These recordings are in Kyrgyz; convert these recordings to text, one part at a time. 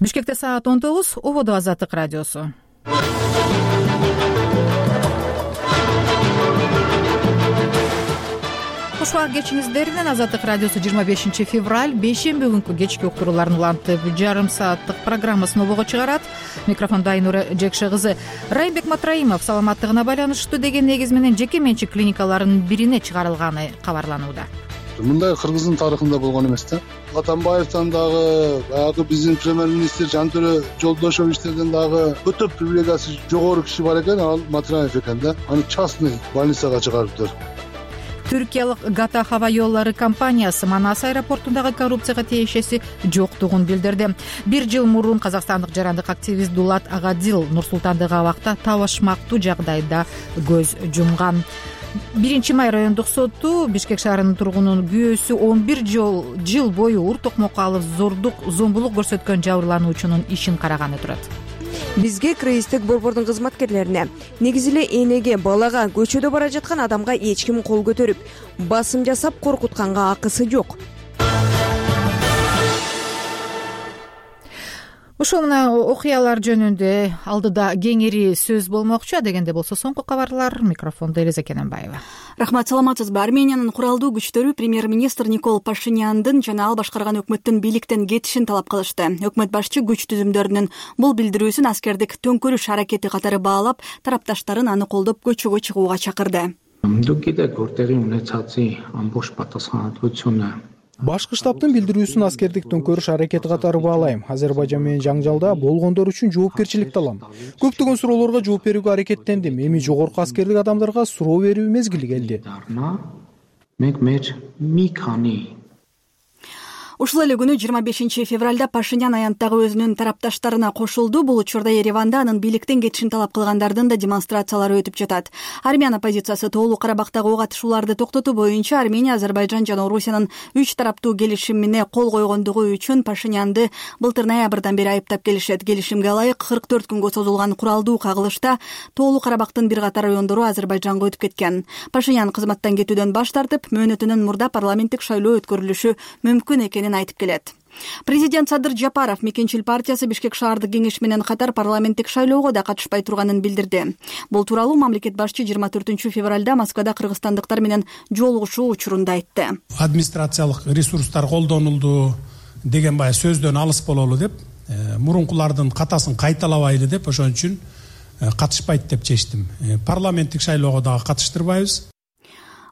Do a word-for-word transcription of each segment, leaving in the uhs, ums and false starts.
Бишкекте саат он тогуз, Ободо Азаттык радиосу. Куш убак кечиңиздер менен. Азаттык радиосу жыйырма бешинчи февраль бейшемби күнкү кечки уктурууларын улантып жарым сааттык программасын обого чыгарат. Микрофондо Айнура Жекше кызы. Райымбек Матраимов саламаттыгына байланыштуу деген негиз менен жеке менчик клиникаларынын бирине чыгарылганы кабарланууда. Мындай Кыргыздын тарыхында болгон эмес да. Атамбаевден дагы, баягы биздин премьер-министр Жантөрө Жолдошовичтерден дагы өтө привилегиясы жогору киши бар экен, ал Матраев экен да. Аны частный больницага чыгарыптыр. Түркиялык Гата хаба жолдору компаниясы Манас аэропортундагы коррупцияга тиешеси жоктугун билдирди. Бир жыл мурун казакстандык жарандык активист Дулат Агадил Нур-Султандагы абакта табышмактуу жагдайда көз жумган. Биринчи май райондук соту Бишкек шаарынын тургунунун күйөөсү он бир жыл бою ур токмокко алып зордук, зомбулук көрсөткөн жабырлануучунун ишин караганы турат. Бизге крейстик борбордун кызматкерлерине, негизи эле энеге, балага, көчөдө бара жаткан адамга эч ким кол көтөрүп, басым жасап коркутканга акысы жок. Ушул мына окуялар жөнүндө алдыда кеңири сөз болмокчу. Дегенде болсо соңку кабарлар. Микрофондо Элиза Кененбаева. Рахмат, саламатсызбы? Армениянын куралдуу күчтөрү премьер-министр Никол Пашиняндын жана ал башкарган өкмөттүн бийликтен кетишин талап кылышты. Өкмөт башчы күч түзүмдөрүнүн бул билдирүүсүн аскердик төңкөрүш аракети катары баалап, тарапташтарын аны колдоп көчөгө чыгууга чакырды. Башкы штабтын билдирүүсүн аскердик төңкөрүш аракети катары баалайм. Азербайжан менен жаңжалда болгондор үчүн жоопкерчиликти алам. Көптөгөн суроолорго жооп берүүгө аракеттендим. Эми жогорку аскердик адамдарга суроо берүү мезгили келди. Ушул эле күнү жыйырма бешинчи февралда Пашинян аянттагы өзүнүн тарапташтарына кошулду. Бул учурда Ереванда анын бийликтен кетишин талап кылгандардын да демонстрациялары өтүп жатат. Армян оппозициясы тоолуу Карабактагы ок атышууларды токтотуу боюнча Армения, Азербайжан жана Орусиянын үч тараптуу келишимине кол койгондугу үчүн Пашинянды былтыр ноябрдан бери айыптап келишет. Келишимге ылайык кырк төрт күнгө созулган куралдуу кагылышта тоолуу Карабактын бир катар райондору Азербайжанга өтүп кеткен. Пашинян кызматтан кетүүдөн баш тартып, мөөнөтүнүн мурда парламенттик шайлоо өткөрүлүшү мүмкүн экенин айтып келет. Президент Садыр Жапаров Мекенчил партиясы Бишкек шаардык кеңеш менен катар парламенттик шайлоого да катышпай турганын билдирди. Бул тууралуу мамлекет башчы жыйырма төртүнчү февралда Москвада кыргызстандыктар менен жолугушуу учурунда айтты. Администрациялык ресурстар колдонулду деген бая сөздөн алыс бололу деп, мурункулардын катасын кайталабайлы деп, ошон үчүн катышпайт деп чечтим. Парламенттик шайлоого дагы катыштырбайбыз.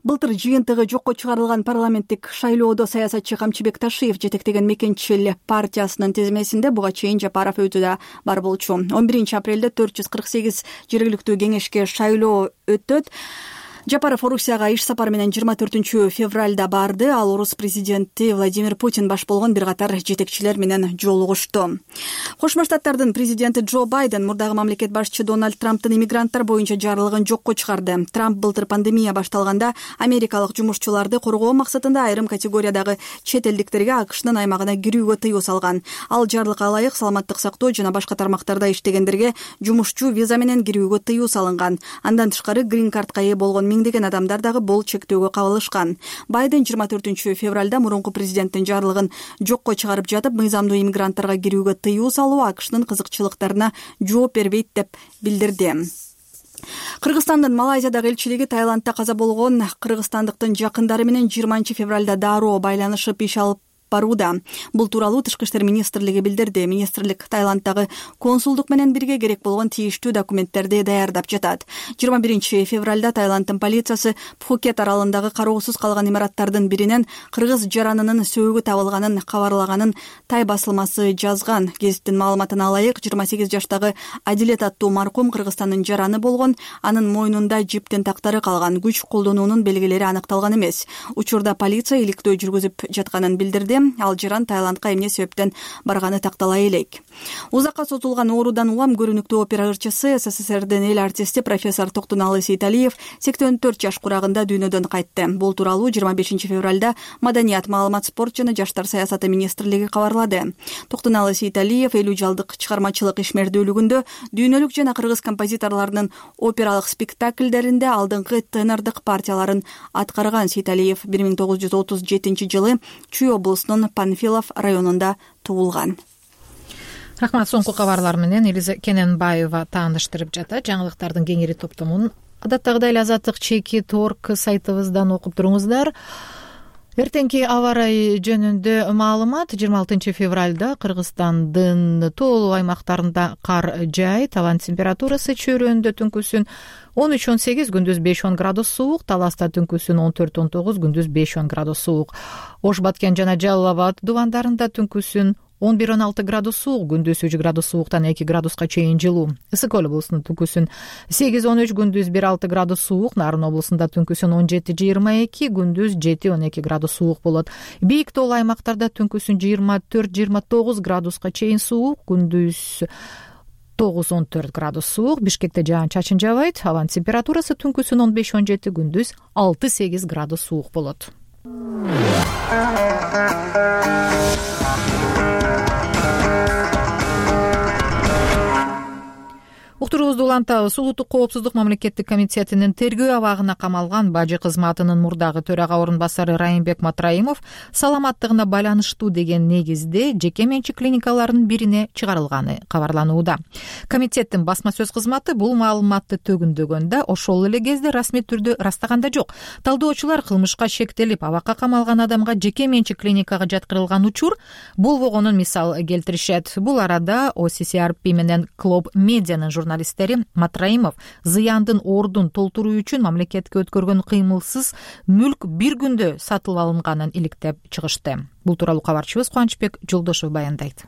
Былтыр жыйынтыгы жокко чыгарылган парламенттик шайлоодо саясатчы Камчыбек Ташиев жетектеген Мекенчил партиясынын тизмесинде буга чейин Жапаров өзү да бар болчу. он биринчи апрелде төрт жүз кырк сегиз жергиликтүү кеңешке шайлоо өтөт. Жапаров Орусияга иш сапары менен жыйырма төртүнчү февралда барды. Ал орус президенти Владимир Путин баш болгон бир катар жетекчилер менен жолугушту. Кошмо Штаттардын президенти Джо Байден мурдагы мамлекет башчы Дональд Трамптын иммигранттар боюнча жарлыгын жокко чыгарды. Трамп былтыр пандемия башталганда америкалык жумушчуларды коргоо максатында айрым категориядагы чет элдиктерге АКШнын аймагына кирүүгө тыюу салган. Ал жарлыкка ылайык саламаттык сактоо жана башка тармактарда иштегендерге жумушчу виза менен кирүүгө тыюу салынган. Андан тышкары грин картка ээ болгон миңдеген адамдар дагы бул чектөөгө кабылышкан. Байден жыйырма төртүнчү февралда мурунку президенттин жарлыгын жокко чыгарып жатып, мыйзамдуу иммигранттарга кирүүгө тыюу салуу АКШнын кызыкчылыктарына жооп бербейт деп билдирди. Кыргызстандын Малайзиядагы элчилиги Таиландда каза болгон кыргызстандыктын жакындары менен жыйырманчы февралда дароо байланышып иш алып барууда. Бул тууралуу Тышкы иштер министрлиги билдирди. Министрлик Таиланддагы консулдук менен бирге керек болгон тийиштүү документтерди даярдап жатат. жыйырма биринчи февралда Таиланддын полициясы Пхукет аралындагы кароосуз калган имараттардын биринен кыргыз жаранынын сөөгү табылганын кабарлаганын Тай басылмасы жазган. Гезиттин маалыматына ылайык, жыйырма сегиз жаштагы Адилет аттуу маркум Кыргызстандын жараны болгон, анын мойнунда жиптин тактары калган, күч колдонуунун белгилери аныкталган эмес. Учурда полиция иликтөө жүргүзүп жатканын билдирди. Ал жаран Таиландка эмне себептен барганы тактала элек. Узакка созулган оорудан улам көрүнүктүү опера ырчысы, СССРдин эл артисти профессор Токтуналы Сейталиев сексен төрт жаш курагында дүйнөдөн кайтты. Бул тууралуу жыйырма бешинчи февралда Маданият, маалымат, спорт жана жаштар саясаты министрлиги кабарлады. Токтуналы Сейталиев элүү жылдык чыгармачылык ишмердүүлүгүндө дүйнөлүк жана кыргыз композиторлорунун опералык спектакльдеринде алдыңкы тенордук партияларын аткарган. Сейталиев бир миң тогуз жүз отуз жетинчи жылы Чүй облусунун Панфилов районунда туулган. рахмат. Соңку кабарлар менен Элиза Кененбаева тааныштырып жатат. Жаңылыктардын кеңири топтомун адаттагыдай эле Азаттык чекит орг сайтыбыздан окуп туруңуздар. Эртеңки аба ырайы жөнүндө маалымат: жыйырма алтынчы февралда Кыргызстандын тоолуу аймактарында кар жаайт. Абанын температурасы чөйрөндө түнкүсүн он үч он сегиз, күндүз беш он градус суук, Таласта түнкүсүн он төрт он тогуз, күндүз беш он градус суук. Ош Баткен жана Жалал Абад дубандарында түнкүсүн он бир он алты градус суук, күндүз үч градус сууктан эки градуска чейин жылуу. Ысык көл облусунун түнкүсүн сегиз он үч, күндүз бир алты градус суук, Нарын облусунда түнкүсүн он жети жыйырма эки, күндүз жети он эки градус суук болот. Бийик тоолуу аймактарда түнкүсүн жыйырма төрт жыйырма тогуз градуска чейин суук, күндүз тогуз он төрт градус суук. Бишкекте жаан чачын жаабайт. Абанын температурасы түнкүсүн он беш он жети, күндүз алты сегиз градус суук болот. Уктуруубузду улантабыз. Улуттук коопсуздук мамлекеттик комитетинин тергөө абагына камалган бажы кызматынын мурдагы төрага орун басары Райымбек Матраимов саламаттыгына байланыштуу деген негизде жеке менчик клиникалардын бирине чыгарылганы кабарланууда. Комитеттин басма сөз кызматы бул маалыматты төгүндөгөндө ошол эле кезде расмий түрдө ырастаган да жок. Талдоочулар кылмышка шектелип абакка камалган адамга жеке менчик клиникага жаткырылган учур болбогонун мисал келтиришет. Бул арада о си си ар пи менен Клоб Медианын журналисттери Матраимов зыяндын ордун толтуруу үчүн мамлекетке өткөргөн кыймылсыз мүлк бир күндө сатылып алынганын иликтеп чыгышты. Бул тууралуу кабарчыбыз Кубанычбек Жолдошов баяндайт.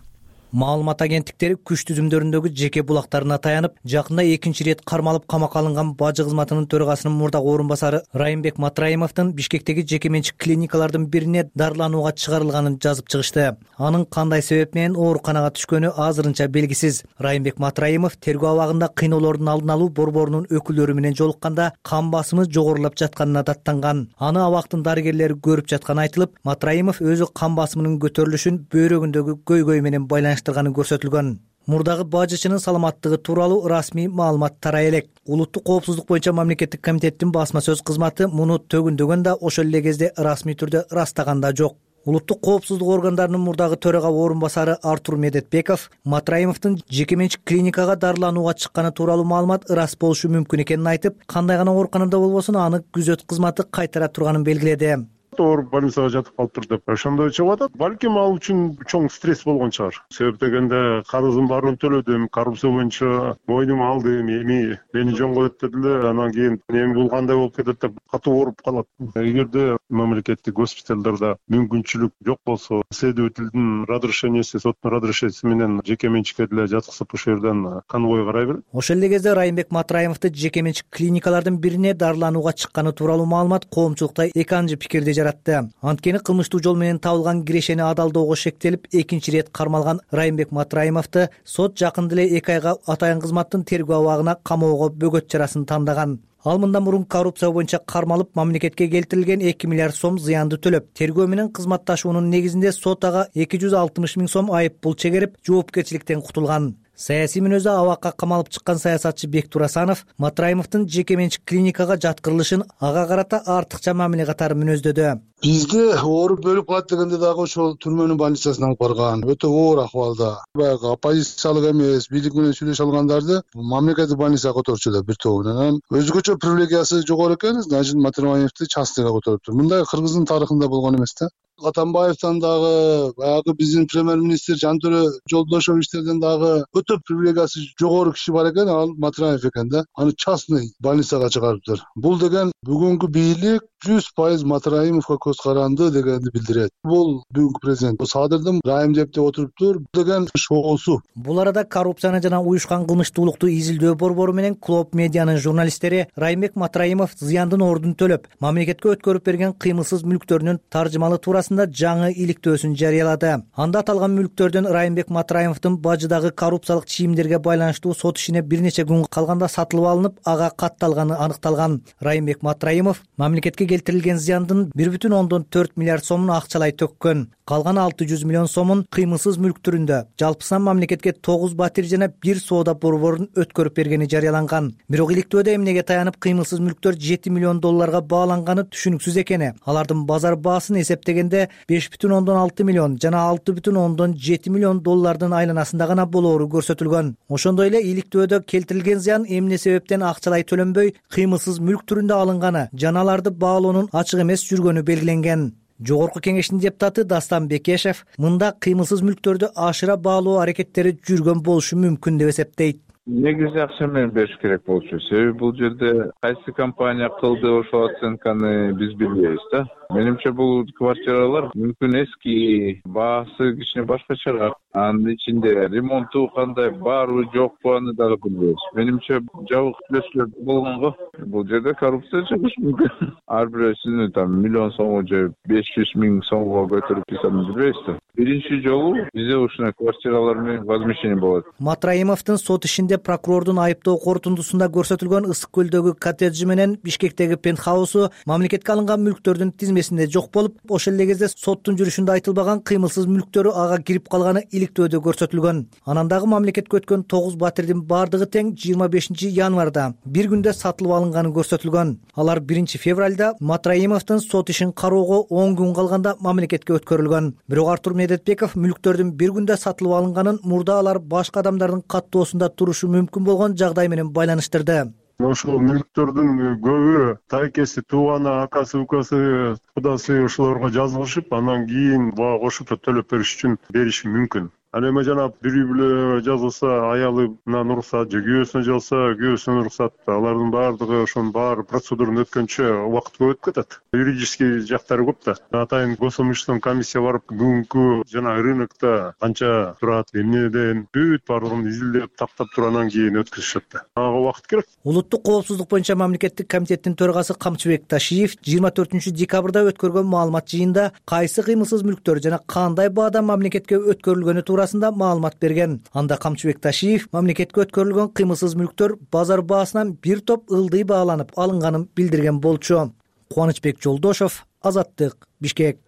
Маалымат агенттиктери күч түзүмдөрүндөгү жеке булактарына таянып, жакында экинчи ирет кармалып камакка алынган бажы кызматынын төрагасынын мурдагы орун басары Райымбек Матраимовдун Бишкектеги жеке менчик клиникалардын бирине дарыланууга чыгарылганын жазып чыгышты. Анын кандай себеп менен ооруканага түшкөнү азырынча белгисиз. Райымбек Матраимов тергөө абагында кыйноолордун алдын алуу борборунун өкүлдөрү менен жолукканда кан басымы жогорулап жатканына даттанган. Аны абактын дарыгерлери көрүп жатканы айтылып, Матраимов өзү кан басымынын көтөрүлүшүн бөйрөгүндөгү көйгөй менен байланыштырганы көрсөтүлгөн. Мурдагы бажычынын саламаттыгы тууралуу расмий маалымат тарай элек. Улуттук коопсуздук боюнча мамлекеттик комитеттин басма сөз кызматы муну төгүндөгөн да ошол эле кезде расмий түрдө ырастаган да жок. Улуттук коопсуздук органдарынын мурдагы төрага орун басары Артур Медетбеков Матраимовдун жеке менчик клиникага дарыланууга чыкканы тууралуу маалымат ырас болушу мүмкүн экенин айтып, кандай гана ооруканада болбосун аны күзөт кызматы кайтара турганын белгиледи. Ооруп больницага жатып калыптыр деп ошондой чыгып атат. Балким ал үчүн чоң стресс болгон чыгар. Себеп дегенде карыздын баарын төлөдүм, коррупция боюнча мойнума алдым, эми мени жөн коет дедиле, анан кийин эми бул кандай болуп кетет деп катуу ооруп калат. Эгерде мамлекеттик госпиталдарда мүмкүнчүлүк жок болсо, следовательдин разрешениеси, соттун разрешенияси менен жеке менчикке деле жаткызып ошол жерден конвой карай берет. Ошол эле кезде Райымбек Матраимовду жеке менчик клиникалардын бирине дарыланууга чыкканы тууралуу маалымат коомчулукта эки анчы пикирди жаратты. Анткени кылмыштуу жол менен табылган кирешени адалдоого шектелип экинчи ирет кармалган Райымбек Матраимовду сот жакында эле эки айга атайын кызматтын тергөө абагына камоого бөгөт чарасын тандаган. Ал мындан мурун коррупция боюнча кармалып, мамлекетке келтирилген эки миллиард сом зыянды төлөп, тергөө менен кызматташуунун негизинде сот ага эки жүз алтымыш миң сом айып пул чегерип, жоопкерчиликтен кутулган. Саясий мүнөздө абакка камалып чыккан саясатчы Бектур Асанов Матраимовдун жеке менчик клиникага жаткырылышын ага карата артыкча мамиле катары мүнөздөдү. Бизде ооруп өлүп калат дегенде дагы ошол түрмөнүн больницасына алып барган. Өтө оор акыбалда. Баягы оппозициялык эмес, бийлик менен сүйлөшө алгандарды мамлекеттик больницага которчу эле бир тобу менен. Өзгөчө привилегиясы жогору экен, значит Матраимовду частныйга которуптур. Мындай Кыргыздын тарыхында болгон эмес да. Атамбаевден дагы, баягы биздин премьер-министр Жантөрө Жолдошовичтерден дагы өтө привилегиясы жогору киши бар экен, ал Матраимов экен да. Аны частный больницага чыгарыптыр. Бул деген бүгүнкү бийлик жүз пайыз Матраимовго көз каранды дегенди билдирет. Бул бүгүнкү президент Садырдын Райым деп деп отуруптур деген шоусу. Бул арада коррупцияны жана уюшкан кылмыштуулукту изилдөө борбору менен Клоб Медианын журналисттери Райымбек Матраимов зыяндын ордун төлөп, мамлекетке өткөрүп берген кыймылсыз мүлктөрүнүн таржымалы туурасында жаңы иликтөөсүн жарыялады. Анда аталган мүлктөрдөн Райымбек Матраимовдун бажыдагы коррупциялык чийимдерге байланыштуу сот ишине бир нече күн калганда сатылып алынып, ага катталганы аныкталган. Райымбек Матраимов мамлекетке келтирилген зыяндын бир бүтүн ондон төрт миллиард сомун акчалай төккөн. Калган алты жүз миллион сомун кыймылсыз мүлк түрүндө жалпысынан мамлекетке тогуз батир жана бир соода борборун өткөрүп бергени жарыяланган. Бирок иликтөөдө эмнеге таянып кыймылсыз мүлктөр жети миллион долларга бааланганы түшүнүксүз экени, алардын базар баасын эсептегенде кеминде беш бүтүн ондон алты миллион жана алты бүтүн ондон жети миллион доллардын айланасында гана болоору көрсөтүлгөн. Ошондой эле иликтөөдө келтирилген зыян эмне себептен акчалай төлөнбөй кыймылсыз мүлк түрүндө алынганы жана аларды баалоонун ачык эмес жүргөнү белгиленген. Жогорку кеңештин депутаты Дастан Бекешев мында кыймылсыз мүлктөрдү ашыра баалоо аракеттери жүргөн болушу мүмкүн деп эсептейт. Негизи акча менен бериш керек болчу. Себеби бул жерде кайсы компания кылды ошол оценканы биз билбейбиз да. Менимче бул квартиралар мүмкүн эски, баасы кичине башкачараак. Анын ичинде ремонту кандай, барбы жокпу аны дагы билбейбиз. Менимче жабык түзөтүүлөр болгонго бул жерде коррупция чыгышы мүмкүн. Ар бирөөсүнү там миллион сомго же беш жүз миң сомго көтөрүп койсону билбейбиз да. Биринчи жолу бизде ушундай квартиралар менен возмещение болот. Матраимовдун сот ишинде прокурордун айыптоо корутундусунда көрсөтүлгөн Ысык көлдөгү коттеджи менен Бишкектеги пентхаусу мамлекетке алынган мүлктөрдүн тизмесинде жок болуп, ошол эле кезде соттун жүрүшүндө айтылбаган кыймылсыз мүлктөрү ага кирип калганы иликтөөдө көрсөтүлгөн. Анан дагы мамлекетке өткөн тогуз батирдин бардыгы тең жыйырма бешинчи январда бир күндө сатылып алынганы көрсөтүлгөн. Алар биринчи февралда Матраимовдун сот ишин кароого он күн калганда мамлекетке өткөрүлгөн. Бирок Артур Медетбеков мүлктөрдүн бир күндө сатылып алынганын мурда алар башка адамдардын каттоосунда турушу мүмкүн болгон жагдай менен байланыштырды. Ошол мүлктөрдүн көбү тайкеси, тууганы, акасы, укасы, кудасы ошолорго жазылышып, анан кийин буга кошумча төлөп бериш үчүн бериши мүмкүн. Ал эми жана бирөө бүлө жазылса, аялынан уруксат же күйөөсүнө жазылса, күйөөсүнөн уруксат, алардын баардыгы ошонун баары процедураны өткөнчө убакыт көп өтүп кетет. Юридический жактары көп да. Атайын госимущественный комиссия барып, бүгүнкү жана рынокто канча турат, эмнеден бүт баардыгын изилдеп, тактап турандан кийин өткөзүшөт да. Ага убакыт керек. Улуттук коопсуздук боюнча мамлекеттик комитеттин төрагасы Камчыбек Ташиев жыйырма төртүнчү декабрда өткөргөн маалымат жыйында кайсы кыймылсыз мүлктөр жана кандай баада мамлекетке өткөрүлгөнү туурасында маалымат берген. Анда Камчыбек Ташиев мамлекетке өткөрүлгөн кыймылсыз мүлктөр базар баасынан бир топ ылдый бааланып алынганын билдирген болчу. Кубанычбек Жолдошов, Азаттык, Бишкек.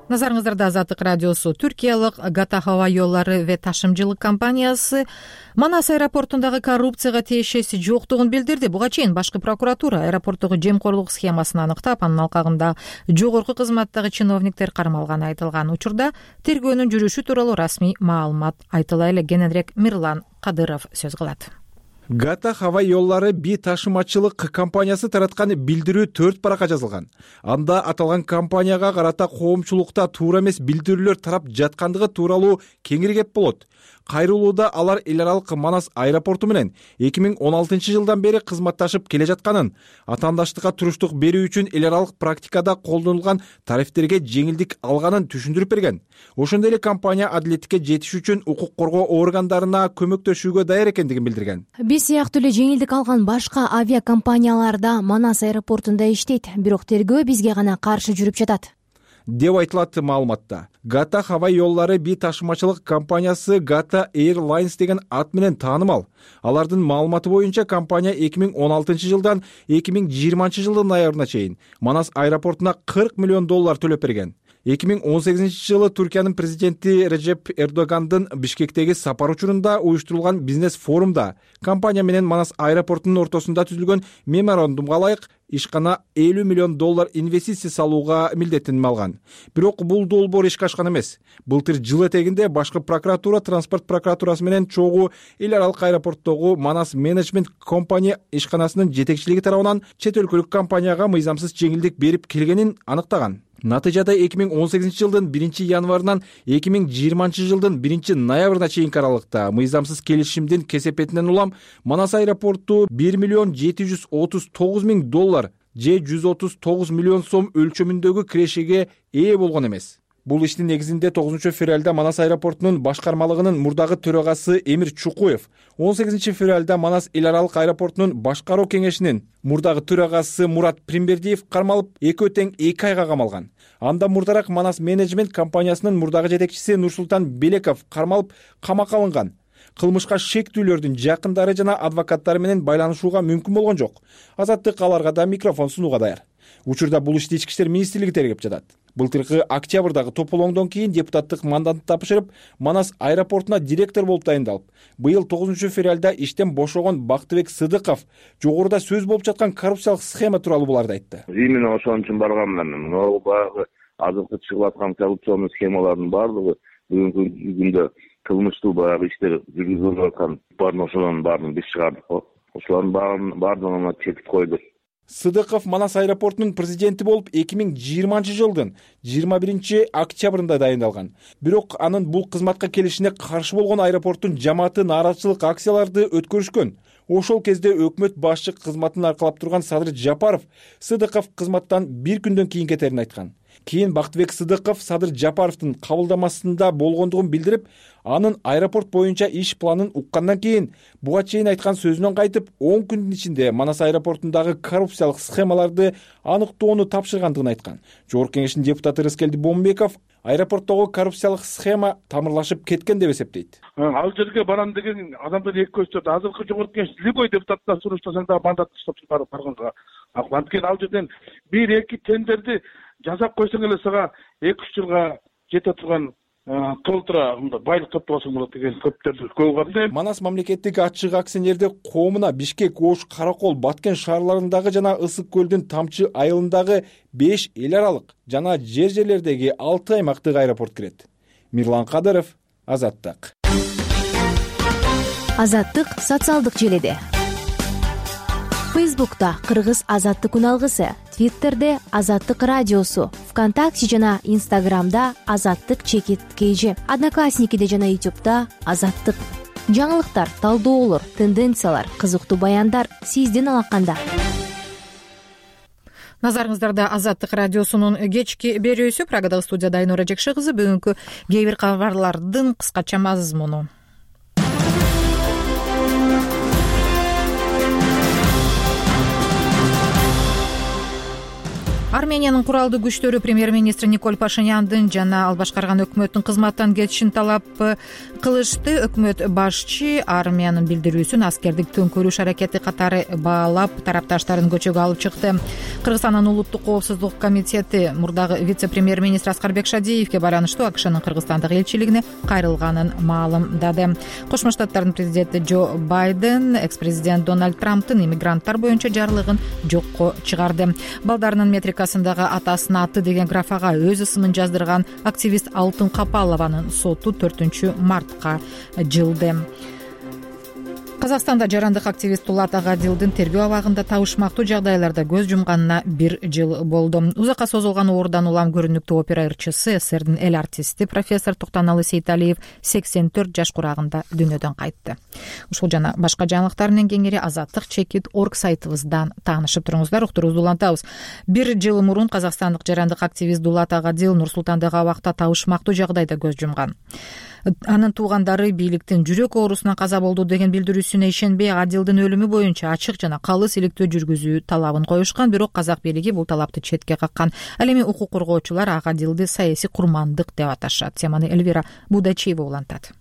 Назарыңыздарда Азаттык радиосу. Түркиялык Гата хаба жолдору ve ташымчылык компаниясы Манас аэропортундагы коррупцияга тиешеси жоктугун билдирди. Буга чейин башкы прокуратура аэропорттогу жемкорлук схемасын аныктап, анын алкагында жогорку кызматтагы чиновниктер кармалганы айтылган. Учурда тергөөнүн жүрүшү тууралуу расмий маалымат айтыла эле. Кененирээк Мирлан Кадыров сөз кылат. Гата хаба жолдору би ташымачылык компаниясы тараткан билдирүү төрт баракка жазылган. Анда аталган компанияга карата коомчулукта туура эмес билдирүүлөр тарап жаткандыгы тууралуу кеңиргеп болот. Кайрылууда алар эл аралык Манас аэропорту менен эки миң он алтынчы жылдан бери кызматташып келе жатканын, атаандаштыкка туруштук берүү үчүн эл аралык практикада колдонулган тарифтерге жеңилдик алганын түшүндүрүп берген. Ошондой эле компания адилеттикке жетиш үчүн укук коргоо органдарына көмөктөшүүгө даяр экендигин билдирген. Биз сыяктуу эле жеңилдик алган башка авиакомпаниялар да Манас аэропортунда иштейт, бирок тергөө бизге гана каршы жүрүп жатат деп айтылат маалыматта. Гата хаба жолдору би ташымачылык компаниясы Gata Airlines деген ат менен таанымал. Алардын маалыматы боюнча компания эки миң он алтынчы жылдан эки миң жыйырманчы жылдын ноябрына чейин Манас аэропортуна кырк миллион доллар төлөп берген. эки миң он сегизинчи жылы Түркиянын президенти Режеп Эрдогандын Бишкектеги сапар учурунда уюштурулган бизнес форумда компания менен Манас аэропортунун ортосунда түзүлгөн меморандумга ылайык ишкана элүү миллион доллар инвестиция салууга милдеттениме алган. Бирок бул долбоор ишке ашкан эмес. Былтыр жыл этегинде башкы прокуратура транспорт прокуратурасы менен чогуу эл аралык аэропорттогу Манас менеджмент компания ишканасынын жетекчилиги тарабынан чет өлкөлүк компанияга мыйзамсыз жеңилдик берип келгенин аныктаган. Натыйжада эки миң он сегизинчи жылдын биринчи январынан эки миң жыйырманчы жылдын биринчи ноябрына чейинки аралыкта мыйзамсыз келишимдин кесепетинен улам Манас аэропорту бир миллион жети жүз отуз тогуз миң доллар же жүз отуз тогуз миллион сом өлчөмүндөгү кирешеге ээ болгон эмес. Бул иштин негизинде тогузунчу февралда Манас аэропортунун башкармалыгынын мурдагы төрагасы Эмир Чукуев, он сегизинчи февралда Манас эл аралык аэропортунун башкаруу кеңешинин мурдагы төрагасы Мурат Примбердиев кармалып, экөө тең эки айга камалган. Анда мурдараак Манас менеджмент компаниясынын мурдагы жетекчиси Нурсултан Белеков кармалып, камакка алынган. Кылмышка шектүүлөрдүн жакындары жана адвокаттары менен байланышууга мүмкүн болгон жок. Азаттык аларга да микрофон сунууга даяр. Учурда бул ишти ички иштер министрлиги тергеп жатат. Былтыркы октябрдагы тополоңдон кийин депутаттык мандатты тапшырып, Манас аэропортуна директор болуп дайындалып, быйыл тогузунчу февралда иштен бошогон Бактыбек Сыдыков жогоруда сөз болуп жаткан коррупциялык схема тууралуу буларды айтты. Именно ошон үчүн барганмын. Могу баягы азыркы чыгып аткан коррупционный схемалардын баардыгы бүгүнкү күндө кылмыштуу баягы иштер жүргүзүлүп аткан баарын ошонун баарын биз чыгардык. Ошолордун баардыгына чекит койдук. Сыдыков Манас аэропортунун президенти болуп эки миң жыйырманчы жылдын жыйырма биринчи октябрында дайындалган. Бирок анын бул кызматка келишине каршы болгон аэропорттун жамааты нааразычылык акцияларды өткөрүшкөн. Ошол кезде өкмөт башчы кызматын аркалап турган Садыр Жапаров Сыдыков кызматтан бир күндөн кийин кетерин айткан. Кийин Бактыбек Сыдыков Садыр Жапаровдун кабылдамасында болгондугун билдирип, анын аэропорт боюнча иш планын уккандан кийин буга чейин айткан сөзүнөн кайтып, он күндүн ичинде Манас аэропортундагы коррупциялык схемаларды аныктоону тапшыргандыгын айткан. Жогорку Кеңештин депутаты Рыскелди Бомбеков аэропорттогу коррупциялык схема тамырлашып кеткен деп эсептейт. Ал жерге барам деген адамдар эки көчтөт. Азыркы Жогорку Кеңеш любой депутаттан сураштасаң да мандат таштап барганга. Анткени ал жерден бир эки тендерди жасап койсоң эле сага эки үч жылга жете турган толтура байлык топтогосуң болот деген көптөрдү көргөм да. Манас мамлекеттик ачык акционердик коомуна Бишкек, Ош, Каракол, Баткен шаарларындагы жана Ысык көлдүн Тамчы айылындагы беш эл аралык жана жер жерлердеги алты аймактык аэропорт кирет. Мирлан Кадыров, Азаттык. Азаттык социалдык желеде. Фейсбукта Кыргыз Азаттык үналгысы, Твиттерде Азаттык радиосу, ВКонтакте жана Инстаграмда Азаттык чекит кейжи, Одноклассникиде жана Ютубта Азаттык. Жаңылыктар, талдоолор, тенденциялар, кызыктуу баяндар сиздин алаканда. Назарыңыздарда Азаттык радиосунун кечки берүүсү. Прагадагы студияда Айнура Жекши кызы. Бүгүнкү кээ бир кабарлардын кыскача мазмуну. Армениянын куралдуу күчтөрү премьер-министр Николь Пашиняндын жана ал башкарган өкмөттүн кызматтан кетишин талап кылышты. Өкмөт башчы армиянын билдирүүсүн аскердик төңкөрүш аракети катары баалап, тарапташтарын көчөгө алып чыкты. Кыргызстандын улуттук коопсуздук комитети мурдагы вице-премьер-министр Аскарбек Шадиевге байланыштуу АКШнын Кыргызстандагы элчилигине кайрылганын маалымдады. Кошмо Штаттардын президенти Джо Байден экс-президент Дональд Трамптын иммигранттар боюнча жарлыгын жокко чыгарды. Балдарынын метрик атасына аты деген графага өз ысымын жаздырган активист Алтын Капалованын соту төртүнчү мартка жылды. Казакстанда жарандык активист Дулат Агадилдин тергөө абагында табышмактуу жагдайларда көз жумганына бир жыл болду. Узакка созулган оорудан улам көрүнүктүү опера ырчысы, СССРдин эл артисти профессор Токтоналы Сейталиев сексен төрт жаш курагында дүйнөдөн кайтты. Ушул жана башка жаңылыктар менен кеңири азаттык чекит точка орг сайтыбыздан таанышып туруңуздар. Уктуруубузду улантабыз. Бир жыл мурун казакстандык жарандык активист Дулат Агадил Нур Султандагы абакта табышмактуу жагдайда көз жумган. Анын туугандары бийликтин жүрөк оорусунан каза болду деген билдирүүсүнө ишенбей, Адилдин өлүмү боюнча ачык жана калыс иликтөө жүргүзүү талабын коюшкан, бирок казак бийлиги бул талапты четке каккан. Ал эми укук коргоочулар Агадилди саясий курмандык деп аташат. Теманы Эльвира Будачиева улантат.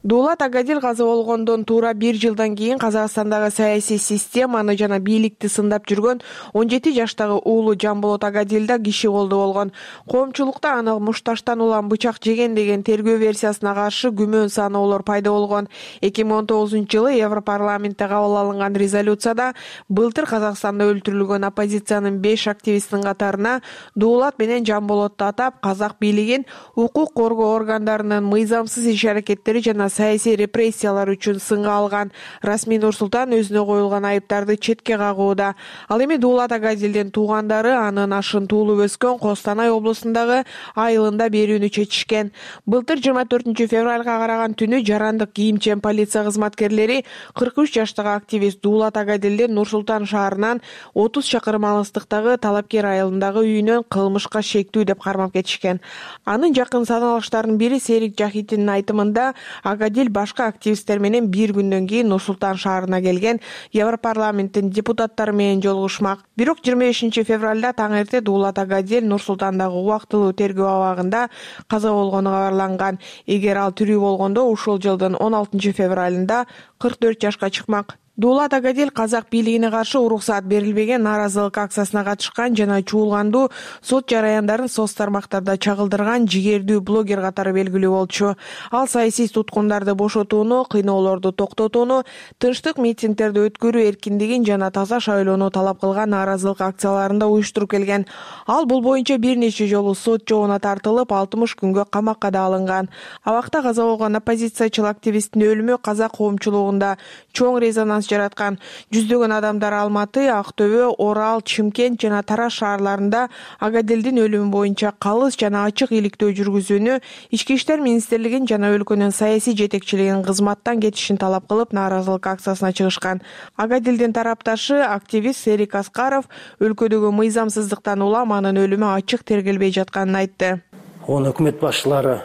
Дулат Агадил каза болгондон туура бир жылдан кийин Казакстандагы саясий системаны жана бийликти сындап жүргөн он жети жаштагы уулу Жамболот Агадил да киши колдо болгон. Коомчулукта аны мушташтан улам бычак жеген деген тергөө версиясына каршы күмөн саноолор пайда болгон. эки миң он тогузунчу жылы Европарламентте кабыл алынган резолюцияда былтыр Казакстанда өлтүрүлгөн оппозициянын беш активистин катарына Дулат менен Жамболотту атап, казак бийлигин укук коргоо органдарынын мыйзамсыз иш-аракеттери жана саясий репрессиялар үчүн сынга алган. Расмий Нурсултан өзүнө коюлган айыптарды четке кагууда. Ал эми Дулат Агадилдин туугандары анын ашын туулуп өскөн Костанай облусундагы айылында берүүнү чечишкен. Былтыр жыйырма төртүнчү февралга караган түнү жарандык кийимчен полиция кызматкерлери кырк үч жаштагы активист Дулат Агадилдин Нур Султан шаарынан отуз чакырым алыстыктагы Талапкер айылындагы үйүнөн кылмышка шектүү деп кармап кетишкен. Анын жакын саналыштарынын бири Серик Жахитиндин айтымында Агадил башка активисттер менен бир күндөн кийин Нур Султан шаарына келген, Европарламенттин депутаттары менен жолугушмак. Бирок жыйырма бешинчи февралда таң эрте Дулат Агадил Нур Султандагы убактылуу тергөө абагында каза болгону кабарланган. Эгер ал тирүү болгондо ушул жылдын он алтынчы февралында кырк төрт жашка чыкмак. Дулат Агадил казак бийлигине каршы уруксаат берилбеген нааразылык акциясына катышкан жана чуулгандуу сот жараяндарын соц тармактарда чагылдырган жигердүү блогер катары белгилүү болчу. Ал саясий туткундарды бошотууну, кыйноолорду токтотууну, тынчтык митингдерди өткөрүү эркиндигин жана таза шайлоону талап кылган нааразылык акцияларында уюштуруп келген. Ал бул боюнча бир нече жолу сот жообуна тартылып, алтымыш күнгө камакка да алынган. Абакта каза болгон оппозициячыл активисттин өлүмү казак коомчулугунда чоң резонанс жараткан. Жүздөгөн адамдар Алматы, Актөбө, Орал, Чымкент жана Тараз шаарларында Агадилдин өлүмү боюнча калыс жана ачык иликтөө жүргүзүүнү, Ички иштер министрлигин жана өлкөнүн саясий жетекчилигин кызматтан кетишин талап кылып, нааразылык акциясына чыгышкан. Агадилдин тарапташы активист Серик Аскаров өлкөдөгү мыйзамсыздыктан улам анын өлүмү ачык тергелбей жатканын айтты. Оны өкмөт башчылары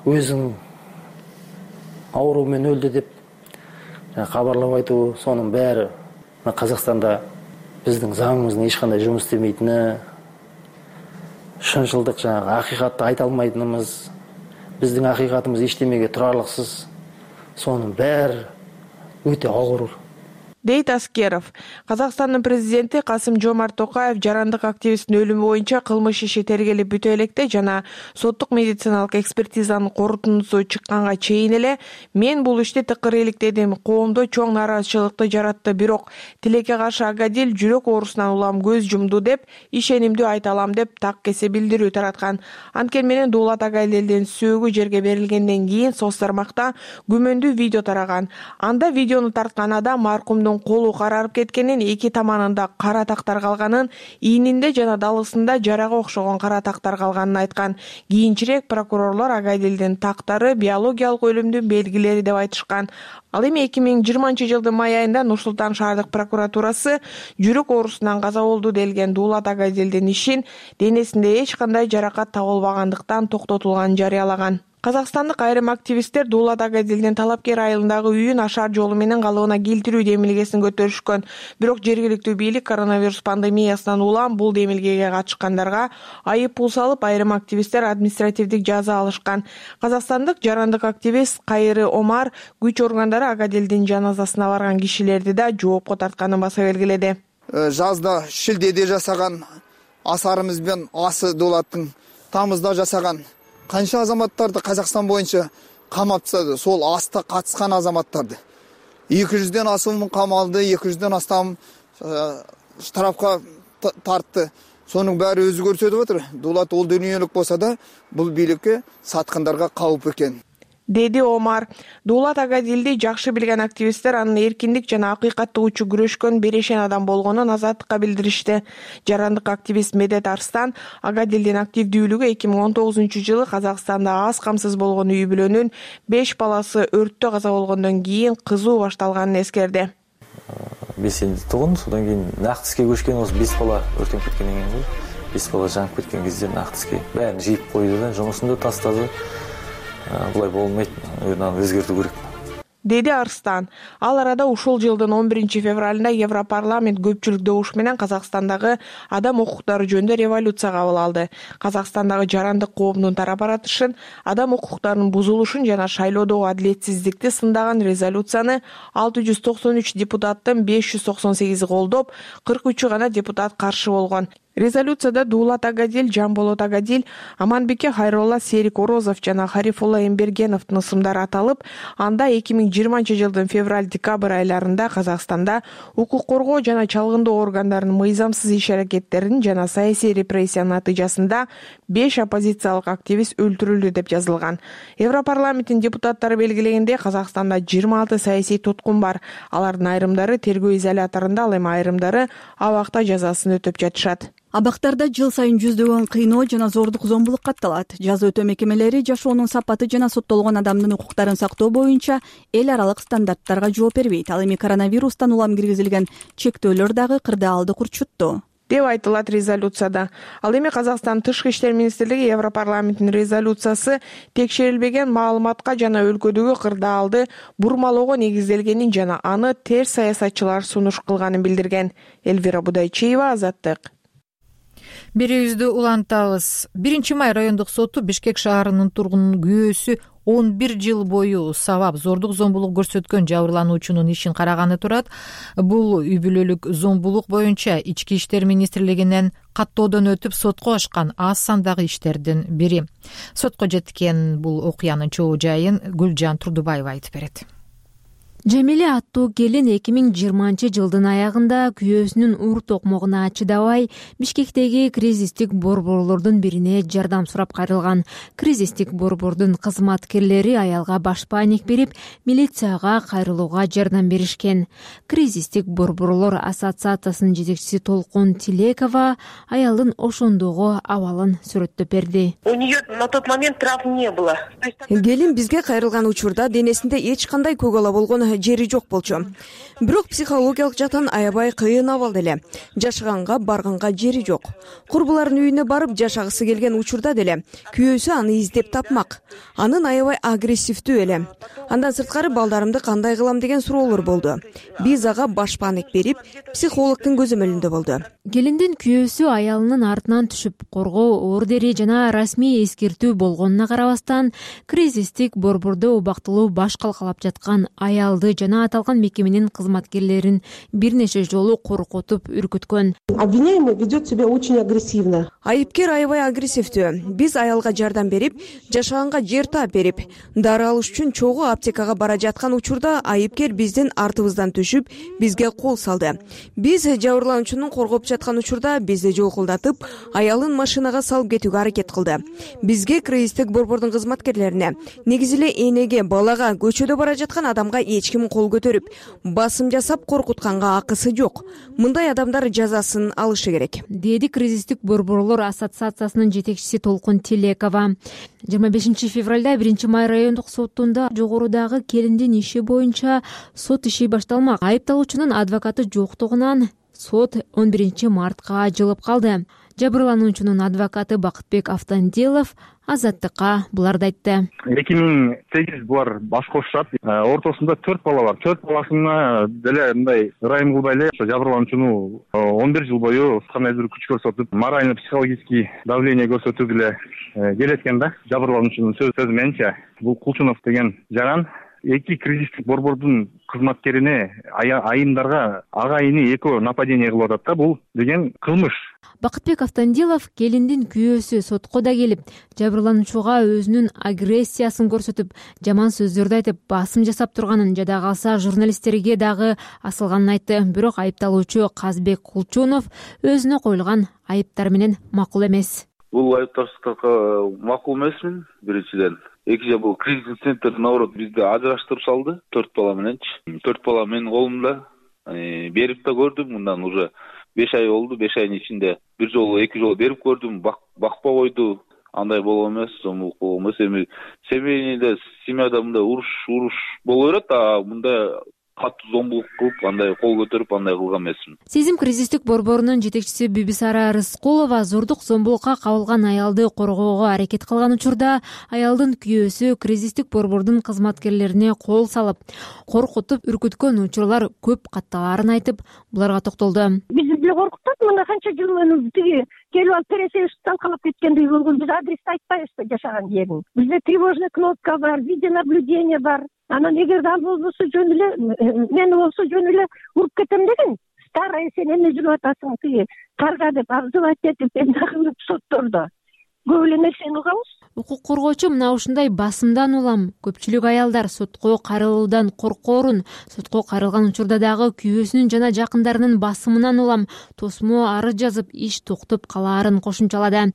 өзүнүн оору менен өлдү деп кабарлап айтуу, сонун баары Казакстанда биздин заңыбыздын эч кандай жумуш истемейтини, шынчылдык жанагы акыйкатты айта алмайтыныбыз, биздин акыйкатыбыз эчтемеге турарлыксыз, сонун баары өтө оорур дейт Аскеров. Казакстандын президенти Касым-Жомарт Токаев жарандык активисттин өлүмү боюнча кылмыш иши тергелип бүтө электе жана соттук медициналык экспертизанын корутундусу чыкканга чейин эле мен бул ишти тыкыр иликтедим, коомдо чоң нааразычылыкты жаратты, бирок тилекке каршы Агадил жүрөк оорусунан улам көз жумду деп ишенимдүү айта алам деп так кесе билдирүү тараткан. Анткени менен Дулат Агадилдин сөөгү жерге берилгенден кийин соц тармакта күмөндүү видео тараган. Анда видеону тарткан адам маркумдун колу карарып кеткенин, эки таманында кара тактар калганын, ийнинде жана далысында жарага окшогон кара тактар калганын айткан. Кийинчерээк прокурорлор Агадилдин тактары биологиялык өлүмдүн белгилери деп айтышкан. Ал эми эки миң жыйырманчы жылдын май айында Нур-Султан шаардык прокуратурасы жүрөк оорусунан каза болду делген Дулат Агадилдин ишин денесинде эч кандай жаракат табылбагандыктан токтотулганын жарыялаган. Казакстандык айрым активисттер Дулат Агадилдин талапкер айылындагы үйүн ашар жолу менен калыбына келтирүү демилгесин көтөрүшкөн. Бирок жергиликтүү бийлик коронавирус пандемиясынан улам бул демилгеге катышкандарга айып пул салып, айрым активисттер административдик жаза алышкан. Казакстандык жарандык активист Кайры Омар күч органдары Агадилдин жаназасына барган кишилерди да жоопко тартканын баса белгиледи. Жазда шилдеде жасаган асарыбыз бен асы Дулаттын тамызда жасаган канча азаматтарды Казакстан боюнча камап тастады, сол аста катышкан азаматтарды. эки жүздөн асуун камалды, эки жүздөн астам штрафка тартты. Сонун баары өзү көрсөтүп атыр. Дулат ол дүйнөлүк болсо да, бул бийликке саткандарга калп экен, деди Омар. Дулат Агадилди жакшы билген активисттер анын эркиндик жана акыйкаттык үчүн күрөшкөн берешен адам болгонун азаттыкка билдиришти. Жарандык активист Медет Арстан Агадилдин активдүүлүгү эки миң он тогузунчу жылы Казакстанда аз камсыз болгон үй бүлөнүн беш баласы өрттө каза болгондон кийин кызуу башталганын эскерди. Бесинчи тугун, содан кийин Нактиске көчкөн, осы беш бала өртөнүп кеткенден кийин го. беш бала жанып кеткен кезде Нактиске баарын жыйып койду да, жумушун да тастады. Булай болмойт, аны өзгөртүү керек, деди Арстан. Ал арада ушул жылдын он биринчи февралында Европарламент көпчүлүк добуш менен Казакстандагы адам укуктары жөнүндө резолюция кабыл алды. Казакстандагы жарандык коомдун тарап аратышын, адам укуктарынын бузулушун жана шайлоодогу адилетсиздикти сындаган резолюцияны алты жүз токсон үч депутаттын беш жүз токсон сегизи колдоп, кырк үчү гана депутат каршы болгон. Резолюцияда Дулат Агадил, Жамболот Агадил, Аманбеке Хайролла, Серик Орозов жана Харифулла Эмбергеновдун ысымдары аталып, анда эки миң жыйырманчы жылдын февраль-декабрь айларында Казакстанда укук коргоо жана чалгындоо органдарынын мыйзамсыз иш аракеттерин жана саясий репрессиянын натыйжасында беш оппозициялык активист өлтүрүлдү деп жазылган. Европарламенттин депутаттары белгилегендей, Казакстанда жыйырма алты саясий туткун бар. Алардын айрымдары тергөө изоляторунда, ал эми айрымдары абакта жазасын өтөп жатышат. Абактарда жыл сайын жүздөгөн кыйноо жана зордук зомбулук катталат. Жаза өтөө мекемелери жашоонун сапаты жана соттолгон адамдын укуктарын сактоо боюнча эл аралык стандарттарга жооп бербейт. Ал эми коронавирустан улам киргизилген чектөөлөр дагы кырдаалды курчутту деп айтылат резолюцияда. Ал эми Казакстан Тышкы иштер министрлиги Европарламенттин резолюциясы текшерилбеген маалыматка жана өлкөдөгү кырдаалды бурмалоого негизделгенин жана аны терс саясатчылар сунуш кылганын билдирген. Элвира Будайчиева, Азаттык. Берүүбүздү улантабыз. биринчи май райондук соту Бишкек шаарынын тургунунун күйөөсү он бир жыл бою сабап зордук зомбулук көрсөткөн жабырлануучунун ишин караганы турат. Бул үй бүлөлүк зомбулук боюнча Ички иштер министрлигинен каттоодон өтүп сотко ашкан аз сандагы иштердин бири. Сотко жеткен бул окуянын чоо жайын Гүлжан Турдубаева айтып берет. Жамиле аттуу келин эки миң жыйырманчы жылдын аягында күйөөсүнүн ур токмогуна чыдабай Бишкектеги кризистик борборлордун бирине жардам сурап кайрылган. Кризистик борбордун кызматкерлери аялга башпаанек берип, милицияга кайрылууга жардам беришкен. Кризистик борборлор ассоциациясынын жетекчиси Толкун Тилекова аялдын ошондогу абалын сүрөттөп берди. У нее на тот момент травм не было. Келин бизге кайрылган учурда денесинде эч кандай көк ала болгон жери жок болчу. Бирок психологиялык жактан аябай кыйын абал деле. Жашаганга барганга жери жок. Курбулардын үйүнө барып жашагысы келген учурда деле күйөөсү аны издеп тапмак. Анын аябай агрессивдүү эле. Андан сырткары балдарымды кандай кылам деген суроолор болду. Биз ага башпаанек берип, психологдун көзөмөлүндө болду. Келиндин күйөөсү аялынын артынан түшүп, коргоо ордери жана расмий эскертүү болгонуна карабастан, кризистик борбордо убактылуу баш калкалап жаткан аялды жана аталган мекеменин кызматкерлерин бир нече жолу коркутуп үркүткөн. Обвиняемый ведет себя очень агрессивно. Айыпкер аябай агрессивдүү. Биз аялга жардам берип, жашаганга жер таап берип, дары алыш үчүн чогуу аптекага бара жаткан учурда айыпкер биздин артыбыздан түшүп, бизге кол салды. Биз жабырлануучунун коргоп жаткан учурда бизди жолкулдатып, аялын машинага салып кетүүгө аракет кылды. Бизге кризистик борбордун кызматкерлерине, негизи эле энеге, балага, көчөдө бара жаткан адамга эч ким кол көтөрүп, басым жасап коркутканга акысы жок. Мындай адамдар жазасын алышы керек, деди кризистик борборлор ассоциациясынын жетекчиси Толкун Тилекова. жыйырма бешинчи февралда биринчи май райондук сотунда жогорудагы келиндин иши боюнча сот иши башталмак. Айыпталуучунун адвокаты жоктугунан сот он биринчи мартка жылып калды. Жабырлануучунун адвокаты Бакытбек Автандилов Азаттыкка буларды айтты. эки миң сегиз булар баш кошушат. Ортосунда төрт бала бар. Төрт баласына деле мындай ырайым кылбай эле жабырлануучуну он бир жыл бою кандай-бир күч көрсөтүп, морально психологический давление көрсөтүп эле келеткен да. Жабырлануучунун сөзү менче бул Кулчунов деген жаран эки кризистик борбордун кызматкерине айымдарга агайыны экөө нападение кылып атат да. Бул деген кылмыш. Бакытбек Автандилов келиндин күйөөсү сотко да келип, жабырлануучуга өзүнүн агрессиясын көрсөтүп, жаман сөздөрдү айтып, басым жасап турганын, жада калса журналисттерге дагы асылганын айтты. Бирок айыпталуучу Казбек Кулчунов өзүнө коюлган айыптар менен макул эмес. Бул айыптарга макул эмесмин, биринчиден. Экинчи, бул кризис центр наоборот бизди ажыраштырып салды, төрт бала мененчи. Төрт бала менин колумда. Берип да көрдүм, мындан уже беш ай болду. беш айдын ичинде бир жолу, эки жолу берип көрдүм, бакпа койду. Андай болгон эмес, зомбулук болгон эмес. Эми семейде, семьяда мындай уруш, уруш боло берет, а мындай катуу зомбулук кылып, андай кол көтөрүп, андай кылган эмесмин. Сезим кризистик борборунун жетекчиси Бибисара Рыскулова зордук зомбулукка кабылган аялды коргоого аракет кылган учурда аялдын күйөөсү кризистик борбордун кызматкерлерине кол салып, коркутуп, үркүткөн учурлар көп катталаарын айтып, буларга токтолду. Бизди деле коркутат, мына канча жыл тиги келип алып терезеге талкалап кеткендей болгон. Биз адрес айтпайбызбы жашаган жерин. Бизде тревожный кнопка бар, видеонаблюдение бар. Анан эгерде ал болбосо жөн эле, мени болсо жөн эле уруп кетем деген. Старая сен эмне жүрүп атасың тиги карга деп обзывать этип дагы соттордо. Көп эле нерсени угабыз. Укук коргоочу мына ушундай басымдан улам. Көпчүлүк аялдар сотко кайрылуудан коркоорун, сотко кайрылган учурда дагы күйөөсүнүн жана жакындарынын басымынан улам тосмо арыз жазып иш токтоп калаарын кошумчалады.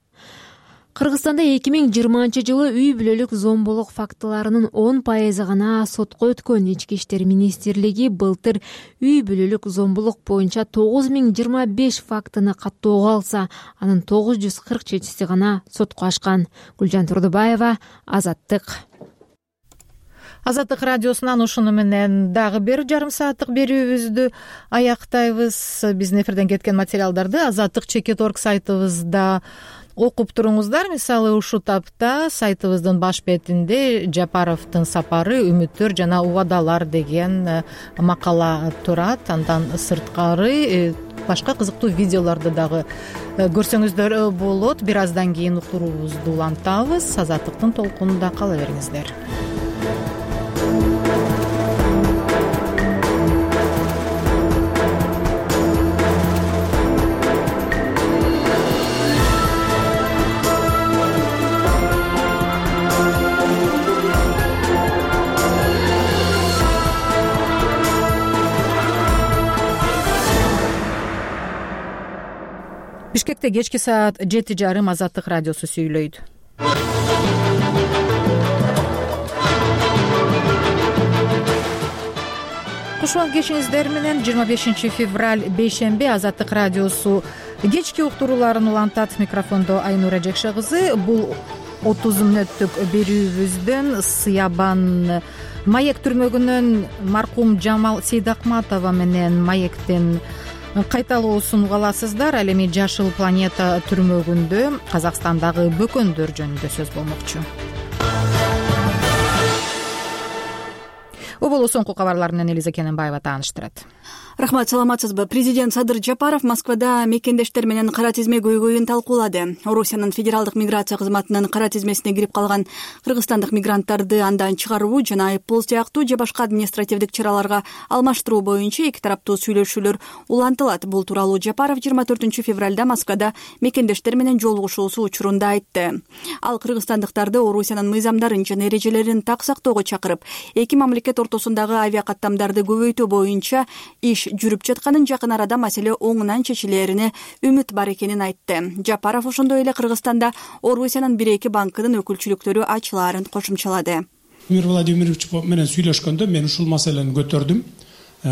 Кыргызстанда эки миң жыйырманчы жылы үй бүлөлүк зомбулук фактыларынын он пайызы гана сотко өткөн. Ички иштер министрлиги былтыр үй бүлөлүк зомбулук боюнча тогуз миң жыйырма беш фактыны каттоого алса, анын тогуз жүз кырк жетиси гана сотко ашкан. Гүлжан Турдубаева, Азаттык. Азаттык радиосунан ушуну менен дагы бир жарым сааттык берүүбүздү аяктайбыз. Биздин эфирден кеткен материалдарды азаттык чекит точка орг сайтыбызда окуп туруңуздар. Мисалы ушул тапта сайтыбыздын баш бетинде Жапаровдун сапары, үмүттөр жана убадалар деген макала турат. Андан сырткары башка кызыктуу видеолорду дагы көрсөңүздөр болот. Бир аздан кийин уктуруубузду улантабыз. Азаттыктын толкунунда кала бериңиздер. Бишкекте кечки саат жети жарым Азаттык радиосу сүйлөйт. Кушуан кешиңиздер менен жыйырма бешинчи февраль бейшемби Азаттык радиосу кечки уктурууларын улантат. Микрофондо Айнура Жекше кызы. Бул отуз мүнөттүк берүүбүздөн Сыябан Маек түрмөгүнөн маркум Жамал Сейдакматова менен Маектин кайталоосун уга аласыздар. Ал эми Жашыл планета түрмөгүндө Казакстандагы бөкөндөр жөнүндө сөз болмокчу. Оболу соңку кабарлар менен Элиза Кененбаева тааныштырат. Рахмат, саламатсызбы? Президент Садыр Жапаров Москвада мекендештер менен кара тизме көйгөйүн талкуулады. Орусиянын федералдык миграция кызматынын кара тизмесине кирип калган кыргызстандык мигранттарды андан чыгаруу жана айыппул сыяктуу же башка административдик чараларга алмаштыруу боюнча эки тараптуу сүйлөшүүлөр улантылат. Бул тууралуу Жапаров жыйырма төртүнчү февралда Москвада мекендештер менен жолугушуусу учурунда айтты. Ал кыргызстандыктарды Орусиянын мыйзамдарын жана эрежелерин так сактоого чакырып, эки мамлекет ортосундагы авиакаттамдарды көбөйтүү боюнча иш жүрүп жатканын, жакын арада маселе оңунан чечилерине үмүт бар экенин айтты. Жапаров ошондой эле Кыргызстанда Орусиянын бир эки банкынын өкүлчүлүктөрү ачылаарын кошумчалады. Эмир Владимирович менен сүйлөшкөндө мен ушул маселени көтөрдүм.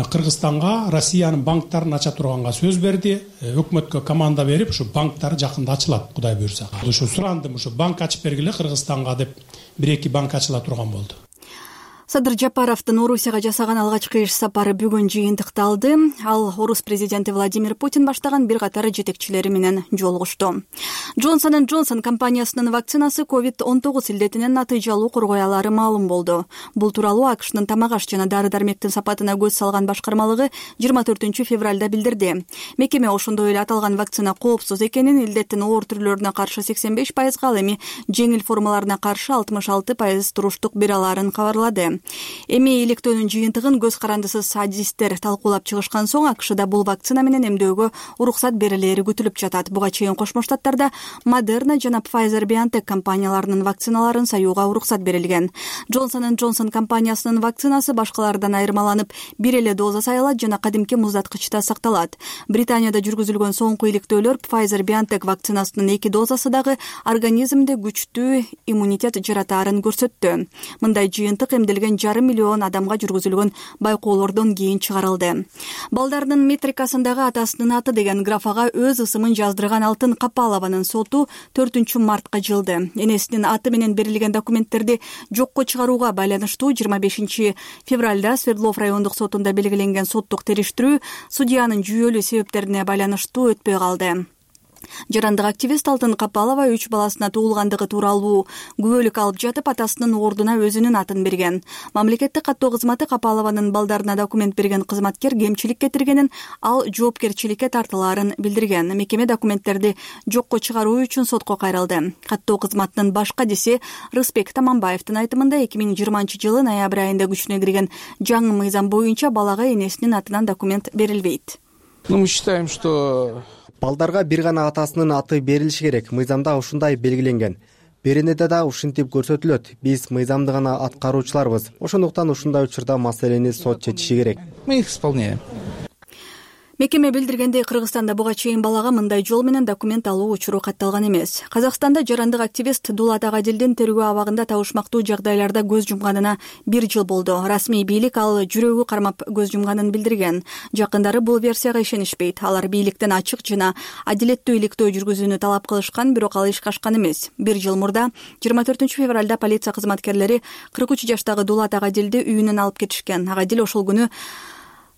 Кыргызстанга Россиянын банктарын ача турганга сөз берди. Өкмөткө команда берип, ушу банктар жакында ачылат, Кудай буйрса. Ушу сурандым, ушу банк ачып бергиле Кыргызстанга деп, бир эки банк ачыла турган болду. Садыр Жапаровдун Орусияга жасаган алгачкы иш сапары бүгүн жыйынтыкталды. Ал орус президенти Владимир Путин баштаган бир катар жетекчилери менен жолугушту. Джонсон энд Джонсон компаниясынын вакцинасы ковид он тогуз илдетинен натыйжалуу коргой алары маалым болду. Бул тууралуу АКШнын тамак аш жана дары-дармектин сапатына көз салган башкармалыгы жыйырма төртүнчү февралда билдирди. Мекеме ошондой эле аталган вакцина коопсуз экенин, илдеттин оор түрлөрүнө каршы сексен беш пайызга, ал эми жеңил формаларына каршы алтымыш алты пайыз туруштук бере аларын кабарлады. Эми иликтөөнүн жыйынтыгын көз карандысыз адистер талкуулап чыгышкан соң АКШда бул вакцина менен эмдөөгө уруксат берилери күтүлүп жатат. Буга чейин Кошмо Штаттарда Moderna жана Pfizer-BioNTech компанияларынын вакциналарын саюуга уруксат берилген. Джонсон энд Джонсон компаниясынын вакцинасы башкалардан айырмаланып, бир эле доза саялат жана кадимки муздаткычта сакталат. Британияда жүргүзүлгөн соңку иликтөөлөр Pfizer-BioNTech вакцинасынын эки дозасы дагы организмде күчтүү иммунитет жаратаарын көрсөттү. Мындай жыйынтык эмделген жарым миллион адамга жүргүзүлгөн байкоолордон кийин чыгарылды. Балдардын метрикасындагы атасынын аты деген графага өз ысымын жаздырган Алтын Капалованын соту төртүнчү мартка жылды. Энесинин аты менен берилген документтерди жокко чыгарууга байланыштуу жыйырма бешинчи февралда Свердлов райондук сотунда белгиленген соттук териштирүү судьянын жүйөлүү себептерине байланыштуу өтпөй калды. Жарандык активист Алтын Капалова үч баласына туулгандыгы тууралуу күбөлүк алып жатып, атасынын ордуна өзүнүн атын берген. Мамлекеттик каттоо кызматы Капалованын балдарына документ берген кызматкер кемчилик кетиргенин, ал жоопкерчиликке тартылаарын билдирген. Мекеме документтерди жокко чыгаруу үчүн сотко кайрылды. Каттоо кызматынын баш кадиси Рыспек Таманбаевдин айтымында эки миң жыйырманчы жылы ноябрь айында күчүнө кирген жаңы мыйзам боюнча балага энесинин атынан документ берилбейт. Ну, мы считаем, что балдарга бир гана атасынын аты берилиши керек. Мыйзамда ушундай белгиленген. Беренеде да ушинтип көрсөтүлөт. Биз мыйзамды гана аткаруучуларбыз. Ошондуктан ушундай учурда маселени сот чечиши керек. Мы их исполняем. Мекеме билдиргендей, Кыргызстанда буга чейин балага мындай жол менен документ алуу учуру катталган эмес. Казакстанда жарандык активист Дулат Агадилдин тергөө абагында табышмактуу жагдайларда көз жумганына бир жыл болду. Расмий бийлик ал жүрөгү кармап көз жумганын билдирген. Жакындары бул версияга ишенишпейт. Алар бийликтен ачык жана адилеттүү иликтөө жүргүзүүнү талап кылышкан, бирок ал ишке ашкан эмес. Бир жыл мурда жыйырма төртүнчү февралда полиция кызматкерлери кырк үч жаштагы Дулат Агадилди үйүнөн алып кетишкен. Агадил ошол күнү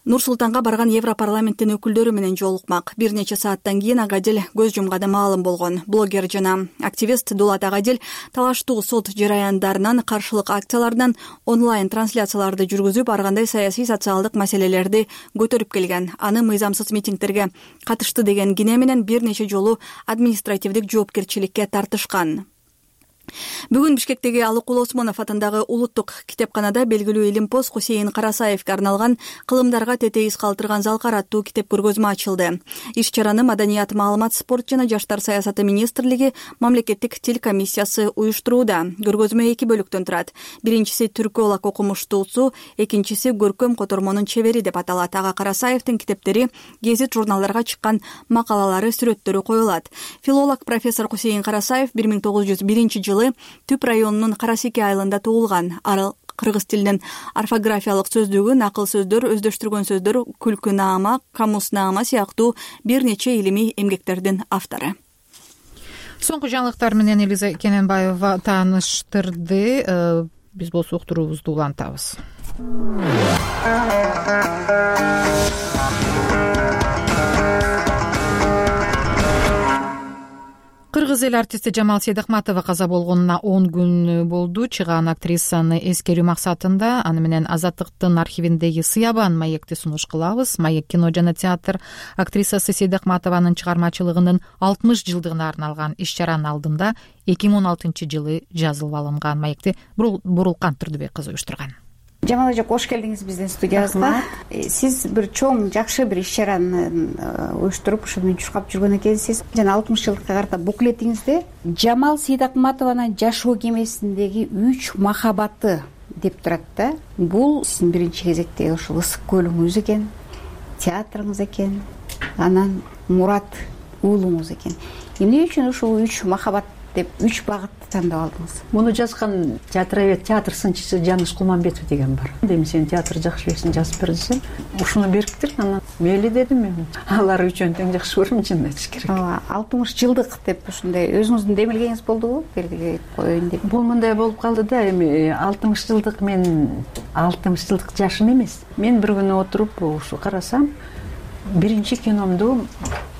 Нур Султанга барган Европарламенттин өкүлдөрү менен жолукмак. Бир нече сааттан кийин Агадил көз жумганы маалым болгон. Блогер жана активист Дулат Агадил талаштуу сот жараяндарынан, каршылык акцияларынан онлайн трансляцияларды жүргүзүп, ар кандай саясий социалдык маселелерди көтөрүп келген. Аны мыйзамсыз митингтерге катышты деген кине менен бир нече жолу административдик жоопкерчиликке тартышкан. Бүгүн Бишкектеги Алыкул Осмонов атындагы улуттук китепканада белгилүү илимпоз Хусейин Карасаевге арналган «Кылымдарга тетейиз калтырган залкар» аттуу китеп көргөзмө ачылды. Иш чараны Маданият, маалымат, спорт жана жаштар саясаты министрлиги мамлекеттик тил комиссиясы уюштурууда. Көргөзмө эки бөлүктөн турат. Биринчиси түркүолог окумуштуусу, экинчиси көркөм котормонун чебери деп аталат. Ага Карасаевдин китептери, гезит журналдарга чыккан макалалары, сүрөттөрү коюлат. Филолог профессор Хусейин Карасаев бир миң тогуз жүз биринчи жылы Түп районунун Карасеке айылында туулган. Ары кыргыз тилинин орфографиялык сөздүгү, накыл сөздөр, өздөштүргөн сөздөр, күлкүнаама, камуснаама сыяктуу бир нече илимий эмгектердин автору. Соңку жаңылыктар менен Элиза Кененбаева тааныштырды. Биз болсо уктуруубузду улантабыз. Кыргыз эл артисти Жамал Сейдахматова каза болгонуна он күн болду. Чыгаан актрисаны эскерүү максатында аны менен Азаттыктын архивиндеги Сыябан маекти сунуш кылабыз. Маек кино жана театр актрисасы Сейдахматованын чыгармачылыгынын алтымыш жылдыгына арналган иш-чаранын алдында эки миң он алтынчы жылы жазылып алынган. Маекти Бурулкан Турдубек кызы уюштурган. Жамал эже, кош келдиңиз биздин студиябызга. Сиз бир чоң, жакшы бир иш-чараны уюштуруп, ушу менен чуркап жүргөн экенсиз. Жана алтымыш жылдыкка карата буклетиңизде Жамал Сейдахматованын жашоо кемесиндеги үч махабаты деп турат да. Бул сиздин биринчи кезектеги ушул ысык көлүңүз экен, театрыңыз экен, анан Мурат уулуңуз экен. Эмне үчүн ушул үч махабат деп үч багытты тандап алдыңыз? Муну жазган театровед, театр сынчысы Жаныш Кулманбетов деген бар. Эми сен театр жакшы билесиң, жазып бер десем, ушуну бериптир. Анан мейли дедим мен. Алар үчөөнү тең жакшы көрөм, чынын айтыш керек. алтымыш жылдык деп ушундай өзүңүздүн демилгениңиз болдубу? Белгилеп коеюн деп. Бул мындай болуп калды да, эми алтымыш жылдык мен алтымыш жылдык жашым эмес. Мен бир күнү отуруп ушу карасам, биринчи киномду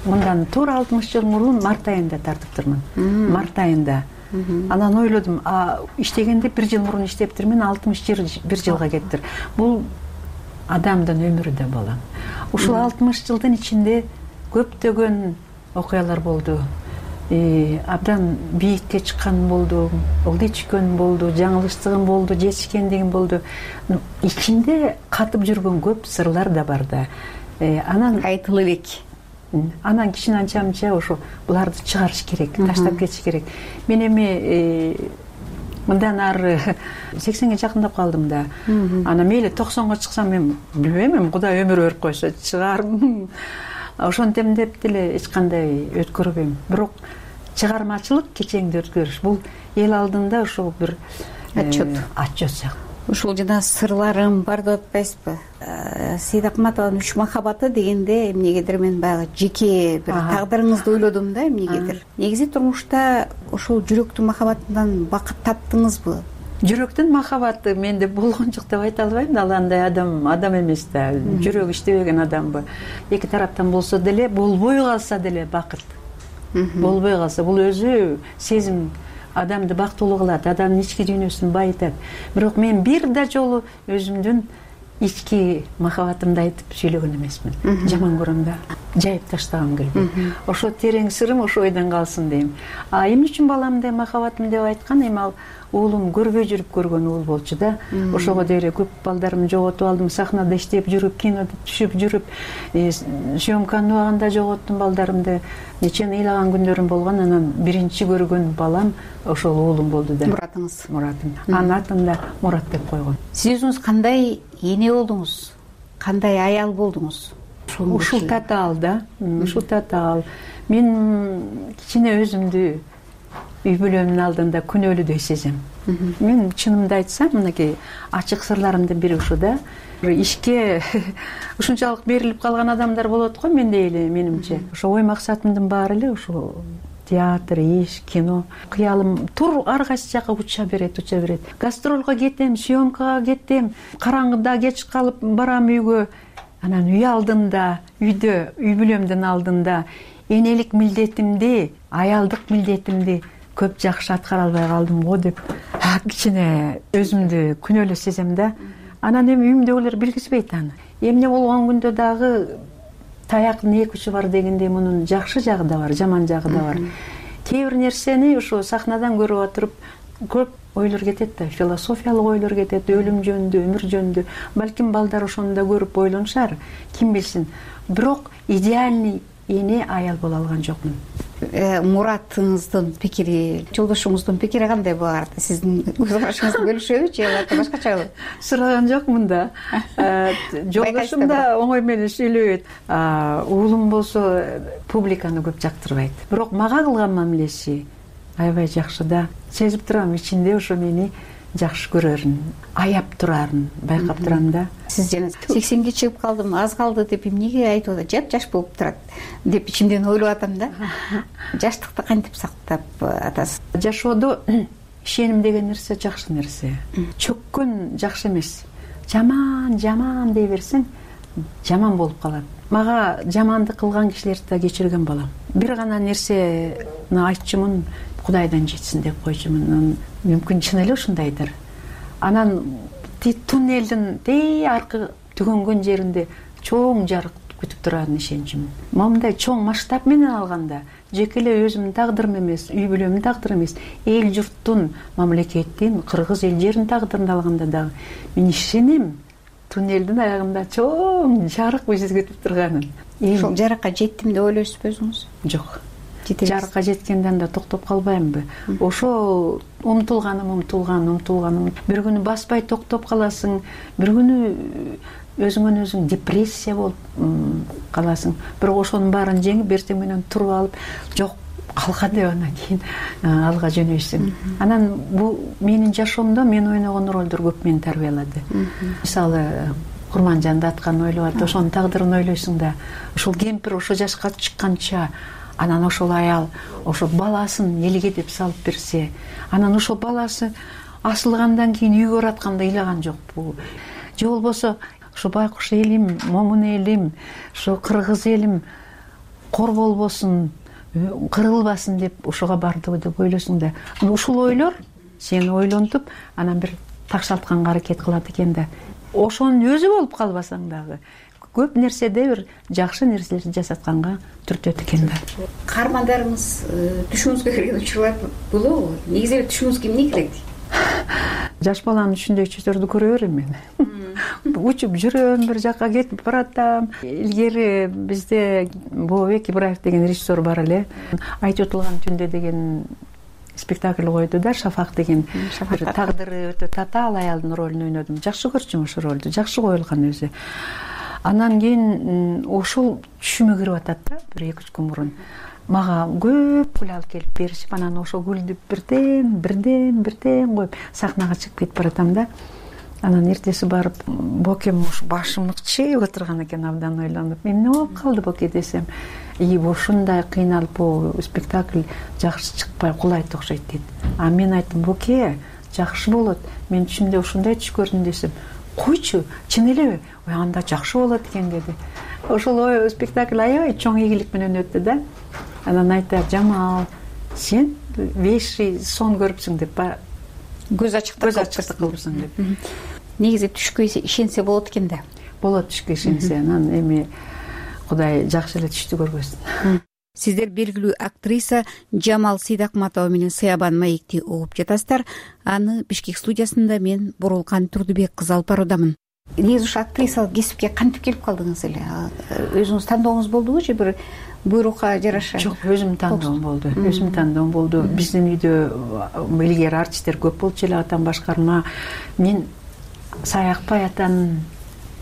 мындан туура алтымыш жыл мурун март айында тартыптырмын. Март айында. Анан ойлодум, а иштегенде бир жыл мурун иштептирмин, алтымыш бир жылга кетиптир. Бул адамдын өмүрү да балам. Ушул алтымыш жылдын ичинде көптөгөн окуялар болду. Абдан бийикке чыккан болду, ылдый түшкөн болду, жаңылыштыгым болду, жетишкендигим болду. Ичинде катып жүргөн көп сырлар да бар да. Анан айтылып элек. Анан кичине анча мынча ошо буларды чыгарыш керек, таштап кетиш керек. Мен эми мындан ары сексенге жакындап калдым да. Анан мейли токсонго чыксам мен билбейм, эми Кудай өмүр берип койсо чыгармын. Ошентем деп деле эч кандай өткөрбөйм. Бирок чыгармачылык кечеңди өткөрүш бул эл алдында ошол бир отчет. Отчет сыяктуу. Ушул жана сырларым бар деп атпайсызбы? Сейдахматованын үч махабаты дегенде эмнегедир мен баягы жеке бир тагдырыңызды ойлодум да, эмнегедир. Негизи турмушта ошол жүрөктүн махабатынан бакыт таптыңызбы? Жүрөктүн махабаты менде болгон жок деп айта албайм да, ал андай адам адам эмес да, жүрөгү иштебеген адамбы. Эки тараптан болсо деле, болбой калса деле бакыт. Болбой калса бул өзү сезим адамды бактылуу кылат, адамдын ички дүйнөсүн байытат. Бирок мен бир да жолу өзүмдүн ички махабатымды айтып сүйлөгөн эмесмин. Жаман көрөм да, жайып таштагым келбейт. Ошо терең сырым ошо ойдон калсын дейм. А эмне үчүн баламды махабатым деп айткан, эми ал уулум көрбөй жүрүп көргөн уул болчу да. Ошого деле көп балдарымды жоготуп алдым, сахнада иштеп жүрүп, кинода түшүп жүрүп, съемканын убагында жоготтум балдарымды. Нечени ыйлаган күндөрүм болгон. Анан биринчи көргөн балам ошол уулум болду да. Муратыңыз. Муратым. Анын атын да Мурат деп койгон. Сиз өзүңүз кандай эне болдуңуз? Кандай аял болдуңуз? Ушул татаал да. Ушул татаал. Мен кичине өзүмдү үй бүлөмдүн алдында күнөөлүүдөй сезем. Мен чынымды айтсам, мынакей ачык сырларымдын бири ушу да. Ишке ушунчалык берилип калган адамдар болот го мендей эле, менимче. Ошо ой максатымдын баары эле ушул театр, иш, кино. Кыялым тур ар кайсы жака уча берет, уча берет. Гастролго кетем, съемкага кетем, караңгыда кеч калып барам үйгө. анан үй алдында, үйдө, үй бүлөмдүн алдында энелик милдетимди, аялдык милдетимди көп жакшы аткара албай калдым го деп кичине өзүмдү күнөөлүү сезем да. Анан эми үйүмдөгүлөр билгизбейт аны. Эмне болгон күндө дагы таяктын эки учу бар дегендей мунун жакшы жагы да бар, жаман жагы да бар. Кээ бир нерсени ушу сахнадан көрүп отуруп көп ойлор кетет да, философиялык ойлор кетет, өлүм жөнүндө, өмүр жөнүндө. Балким балдар ошону да көрүп ойлонушар, ким билсин. Бирок идеальный эне, аял боло алган жокмун. Муратыңыздын пикири, жолдошуңуздун пикири кандай булар? Сиздин өз карашыңызды бөлүшөбү же албетте башкачабы? Сураган жокмун да. Жолдошум да оңой менен сүйлөбөйт. Уулум болсо публиканы көп жактырбайт. Бирок мага кылган мамилеси аябай жакшы да. Сезип турам, ичинде ошо мени жакшы көрөрүн, аяп турарын байкап турам да. Сиз жана сексенге чыгып калдым, аз калды деп эмнеге айтып атат? Жап жаш болуп турат деп ичимден ойлоп атам да. Жаштыкты кантип сактап атасыз? Жашоодо ишеним деген нерсе жакшы нерсе. Чөккөн жакшы эмес. Жаман, жаман дей берсең, жаман болуп калат. Мага жамандык кылган кишилерди да кечирген балам. Бир гана нерсени айтчумун, Кудайдан жетсин деп койчумун. Мүмкүн чын эле ушундайдыр. Анан туннелдин тээ аркы түгөнгөн жеринде чоң жарык күтүп турарын ишенчүмүн. Момундай чоң масштаб менен алганда, жеке эле өзүмдүн тагдырым эмес, үй бүлөмдүн тагдыры эмес, эл журттун, мамлекеттин, кыргыз эл жеринин тагдырын алганда дагы мен ишенем туннелдин аягында чоң жарык бизди күтүп турганын. Ошол жарыкка жеттим деп ойлойсузбу өзүңүз? Жок. Жарыкка жеткенден да токтоп калбаймынбы? Ошол умтулганым, умтулган, умтулганым. Бир күнү баспай токтоп каласың, бир күнү өзүңөн өзүң депрессия болуп каласың. Бирок ошонун баарын жеңип, эртең менен туруп алып, жок, калка деп анан кийин алга жөнөйсүң. Анан бул менин жашоомдо мен ойногон ролдор көп мени тарбиялады. Мисалы, Курманжанды атканын ойлоп атып, ошонун тагдырын ойлойсуң да, ошол кемпир ошо жашка чыкканча, анан ошол аял ошо баласын элге деп салып берсе, анан ошол баласы асылгандан кийин үйгө баратканда ыйлаган жокпу? Же болбосо ошо байкуш элим, момун элим, ошо кыргыз элим кор болбосун, кырылбасын деп ошого бардыбы деп ойлойсуң да. Ушул ойлор сени ойлонтуп, анан бир такшалтканга аракет кылат экен да. Ошонун өзү болуп калбасаң дагы көп нерседе бир жакшы нерселерди жасатканга түртөт экен да. Каармандарыңыз түшүңүзгө кирген учурлар болобу? Негизи эле түшүңүзгө эмне кирет? Жаш баланын түшүндөгү түштөрдү көрө берем мен. Учуп жүрөм, бир жакка кетип баратам. Илгери бизде Бообек Ибраев деген режиссер бар эле. Айтып отулган түндө деген спектакль койду да, Шафак деген. Бир тагдыры өтө татаал аялдын ролун ойнодум. Жакшы көрчүм ошол ролду, жакшы коюлган өзү. Анан кийин ошол түшүмө кирип атат да, бир эки үч күн мурун. Мага көп гүл алып келип беришип, анан ошол гүлдү бирден, бирден, бирден коюп сахнага чыгып кетип баратам да. Анан эртеси барып, Бокем уш башым ыкчыйып отурган экен, абдан ойлонуп. Эмне болуп калды Боке десем, и ушундай кыйналып бул спектакль жакшы чыкпай кулайт окшойт дейт. А мен айттым, Боке, жакшы болот. Мен түшүмдө ушундай түш көрдүм десем, койчу, чын элеби? Ой, анда жакшы болот экен деди. Ошол спектакль аябай чоң ийгилик менен өттү да. Анан айтат, Жамал, сен беш сон көрүпсүң деп, көз ачыктык кылыпсың деп. Негизи түшкө ишенсе болот экен да. Болот түшкө ишенсе, анан эми Кудай жакшы эле түштү көргөзсүн. Сиздер белгилүү актриса Жамал Сейдакматова менен Сыябан маекти угуп жатасыздар. Аны Бишкек студиясында мен Бурулкан Турдубек кызы алып баруудамын. Негизи ушу актрисалык кесипке кантип келип калдыңыз эле? Өзүңүз тандооңуз болдубу же бир буйрукка жараша? Жок, өзүм тандоом болду. Өзүм тандоом болду. Биздин үйдө илгери артисттер көп болчу эле, атам башкарма. Мен Саякбай атанын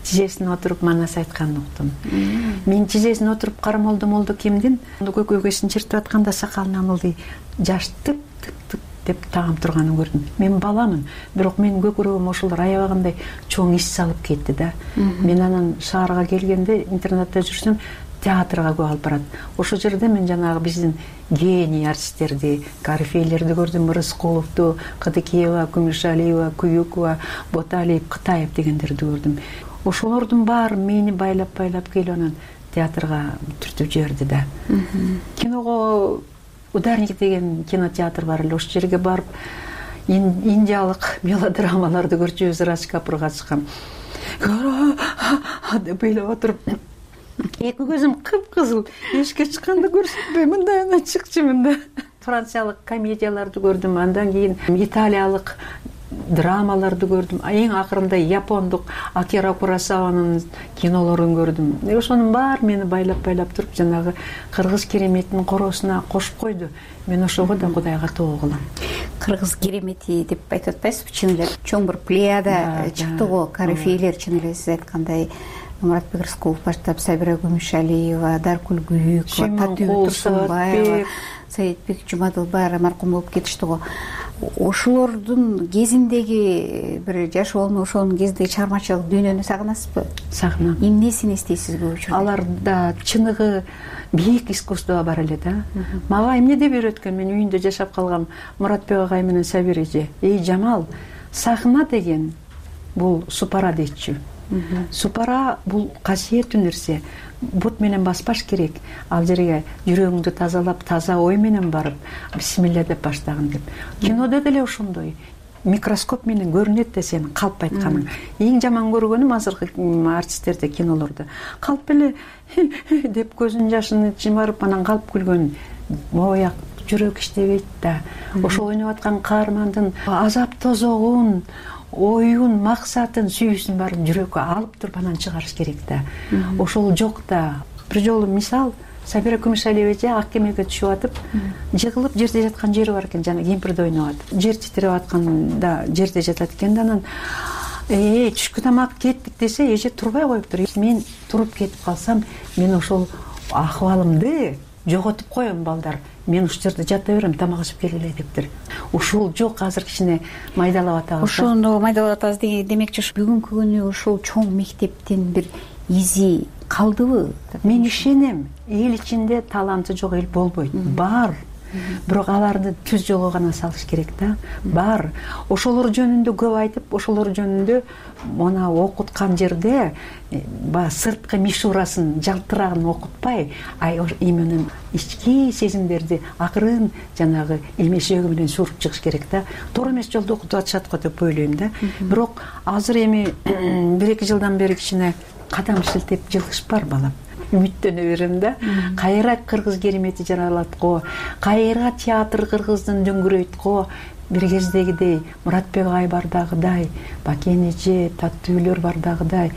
тизесине отуруп манас айтканын уктум. Мен тизесине отуруп карамолду молду кимдин көкөйгөсүн чертип атканда сакалынан ылдый жаш тык тык тык деп тагып турганын көрдүм. Мен баламын, бирок менин көкүрөгүм ошолор аябагандай чоң ис салып кетти да. Мен анан шаарга келгенде, интернатта жүрсөм, театрга көп алып барат. Ошол жерде мен жанагы биздин гений артисттерди, корифейлерди көрдүм. Рыскуловду, Кыдыкеева, Күмүшалиева, Күйүкова, Боталиев, Кытаев дегендерди көрдүм. ошолордун баары мени байлап байлап келип анан театрга түртүп жиберди да. Киного Ударник деген кинотеатр бар эле, ошол жерге барып индиялык мелодрамаларды көрчүбүз. Радж Капурга чыккан деп ыйлап отуруп, эки көзүм кыпкызыл, эшикке чыкканда көрсөтпөй мындай анан чыкчумун да. Франциялык комедияларды көрдүм, андан кийин италиялык драмаларды көрдүм, эң акырында япондук Акира Куросаванын кинолорун көрдүм. Ошонун баары мени байлап-байлап туруп жанагы кыргыз кереметинин коросуна кошуп койду. Мен ошого да Кудайга тоо кылам. Кыргыз керемети деп айтып атпайсызбы? Чын эле чоң бир плеяда чыкты го, корифейлер, чын эле сиз айткандай Муратбек Рыскулов баштап, Сабира Күмүшалиева, Даркүл Күйүкова, Татуу Турсунбаева, Саидбек Жумадылбай маркум болуп кетишти го. Ошолордун кезиндеги бир жаш болуп, ошонун кезиндеги чыгармачылык дүйнөнү сагынасызбы? Сагынам. Эмнесин эстейсиз көп учурда? Аларда чыныгы бийик искусство бар эле да. Мага эмне деп үйрөткөн, мен үйүндө жашап калгам Муратбек агай менен Сабир эже. Эй Жамал, сахна деген бул супара дейчү. Супара бул касиеттүү нерсе. Бут менен баспаш керек. Ал жерге жүрөгүңдү тазалап, таза ой менен барып, бисмилля деп баштагын деп. Кинодо деле ошондой. Микроскоп менен көрүнөт да сен калп айтканың. Эң жаман көргөнүм азыркы артисттерде, кинолордо. Калп эле деп көзүнүн жашын жымарып анан калп күлгөн. Мояк жүрөк иштебейт да. Ошол ойноп аткан каармандын азап тозогун, оюн, максатын, сүйүүсүн баарын жүрөккө алып туруп анан чыгарыш керек да. Ошол жок да. Бир жолу мисал, Сабира Күмүшалиева эже ак кемеге түшүп атып, жыгылып жерде жаткан жери бар экен, жана кемпирди ойноп атып. Жер титиреп атканда жерде жатат экен да, анан э түшкү тамак кеттик десе, эже турбай коюптур. Мен туруп кетип калсам, мен ошол акыбалымды жоготуп коем балдар. Мен ушул жерде жата берем, тамак ичип келгиле дептир. Ушул жок, азыр кичине майдалап атабыз. Ошону майдалап атабыз деген демекчи, бүгүнкү күнү ошол чоң мектептин бир изи калдыбы? Мен ишенем, эл ичинде таланты жок эл болбойт. Бар. Бирок аларды түз жолго гана салыш керек да. Бар. Ошолор жөнүндө көп айтып, ошолор жөнүндө мына окуткан жерде ба сырткы мишурасын, жалтырагын окутпай, ай именно ички сезимдерди акырын жанагы эмешеги менен суруп чыгыш керек да. Туура эмес жолдо окутуп атышат го деп ойлойм да. Бирок азыр эми бир эки жылдан бери кичине кадам шилтеп жылкыш бар балам. Үмүттөнө берем да. Кайра кыргыз керемети жаралат го, кайра театр кыргыздын дөңгүрөйт го. Бир кездегидей Муратбек агай бардагыдай, Бакен эже, Таттуулөр бардагыдай,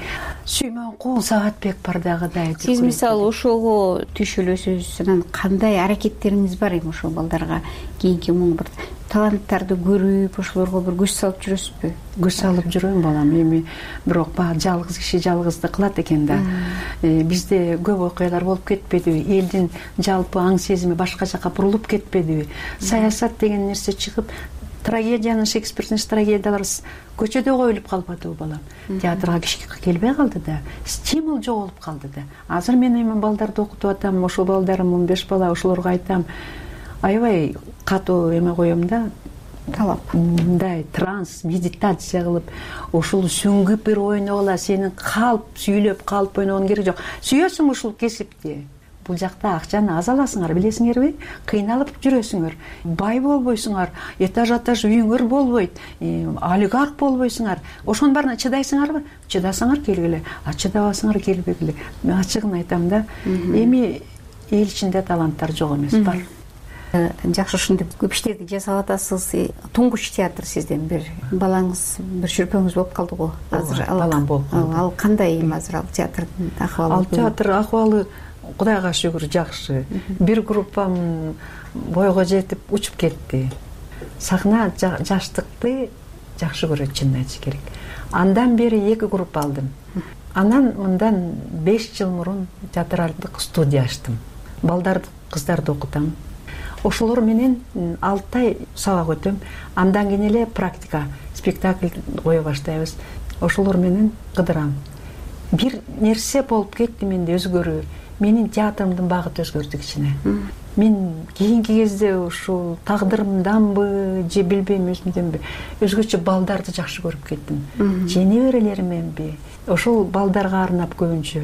Сүймөнкул Саатбек бардагыдай. Сиз мисалы ошого түшүлөсүз, анан кандай аракеттериңиз бар эми ошол балдарга кийинки муну бир таланттарды көрүп, ошолорго бир күч салып жүрөсүзбү? Күч салып жүрөм балам, эми бирок баягы жалгыз киши жалгызды кылат экен да. Бизде көп окуялар болуп кетпедиби? Элдин жалпы аң сезими башка жака бурулуп кетпедиби? Саясат деген нерсе чыгып, трагедиянын, Шекспирдин трагедиялары көчөдө коюлуп калбадыбы балам? Театрга киши келбей калды да, стимул жоголуп калды да. Азыр мен эми балдарды окутуп атам, ошол балдарым он беш бала, ошолорго айтам, аябай катуу эме коем да, талап. Мындай транс, медитация кылып, ушул сүңгүп бир ойногула, сенин калп сүйлөп, калп ойногонун кереги жок. Сүйөсүң ушул кесипти. Бул жакта акчаны аз аласыңар, билесиңерби? Кыйналып жүрөсүңөр. Бай болбойсуңар, этаж этаж үйүңөр болбойт, олигарх болбойсуңар. Ошонун баарына чыдайсыңарбы? Чыдасаңар келгиле, а чыдабасаңар келбегиле. Мен ачыгын айтам да. Эми эл ичинде таланттар жок эмес, бар. Жакшы, ушинтип көп иштерди жасап атасыз. Туңгуч театр сизден бир балаңыз, бир шүрпөңүз болуп калды го. Азыр балам болуп калды. Ал кандай эми азыр ал театрдын акыбалы? Ал театр акыбалы Кудайга шүгүр жакшы. Бир группам бойго жетип учуп кетти. Сахна жаштыкты жакшы көрөт, чынын айтыш керек. Андан бери эки группа алдым. Анан мындан беш жыл мурун театралдык студия ачтым. Балдарды, кыздарды окутам. Ошолор менен алты ай сабак өтөм. Андан кийин эле практика, спектакль кое баштайбыз. Ошолор менен кыдырам. Бир нерсе болуп кетти менде, өзгөрүү. менин театрымдын багыты өзгөрдү кичине. Мен кийинки кезде ушул тагдырымданбы же билбейм өзүмдөнбү өзгөчө балдарды жакшы көрүп кеттим. Же неберелеримменби ошол балдарга арнап көбүнчө,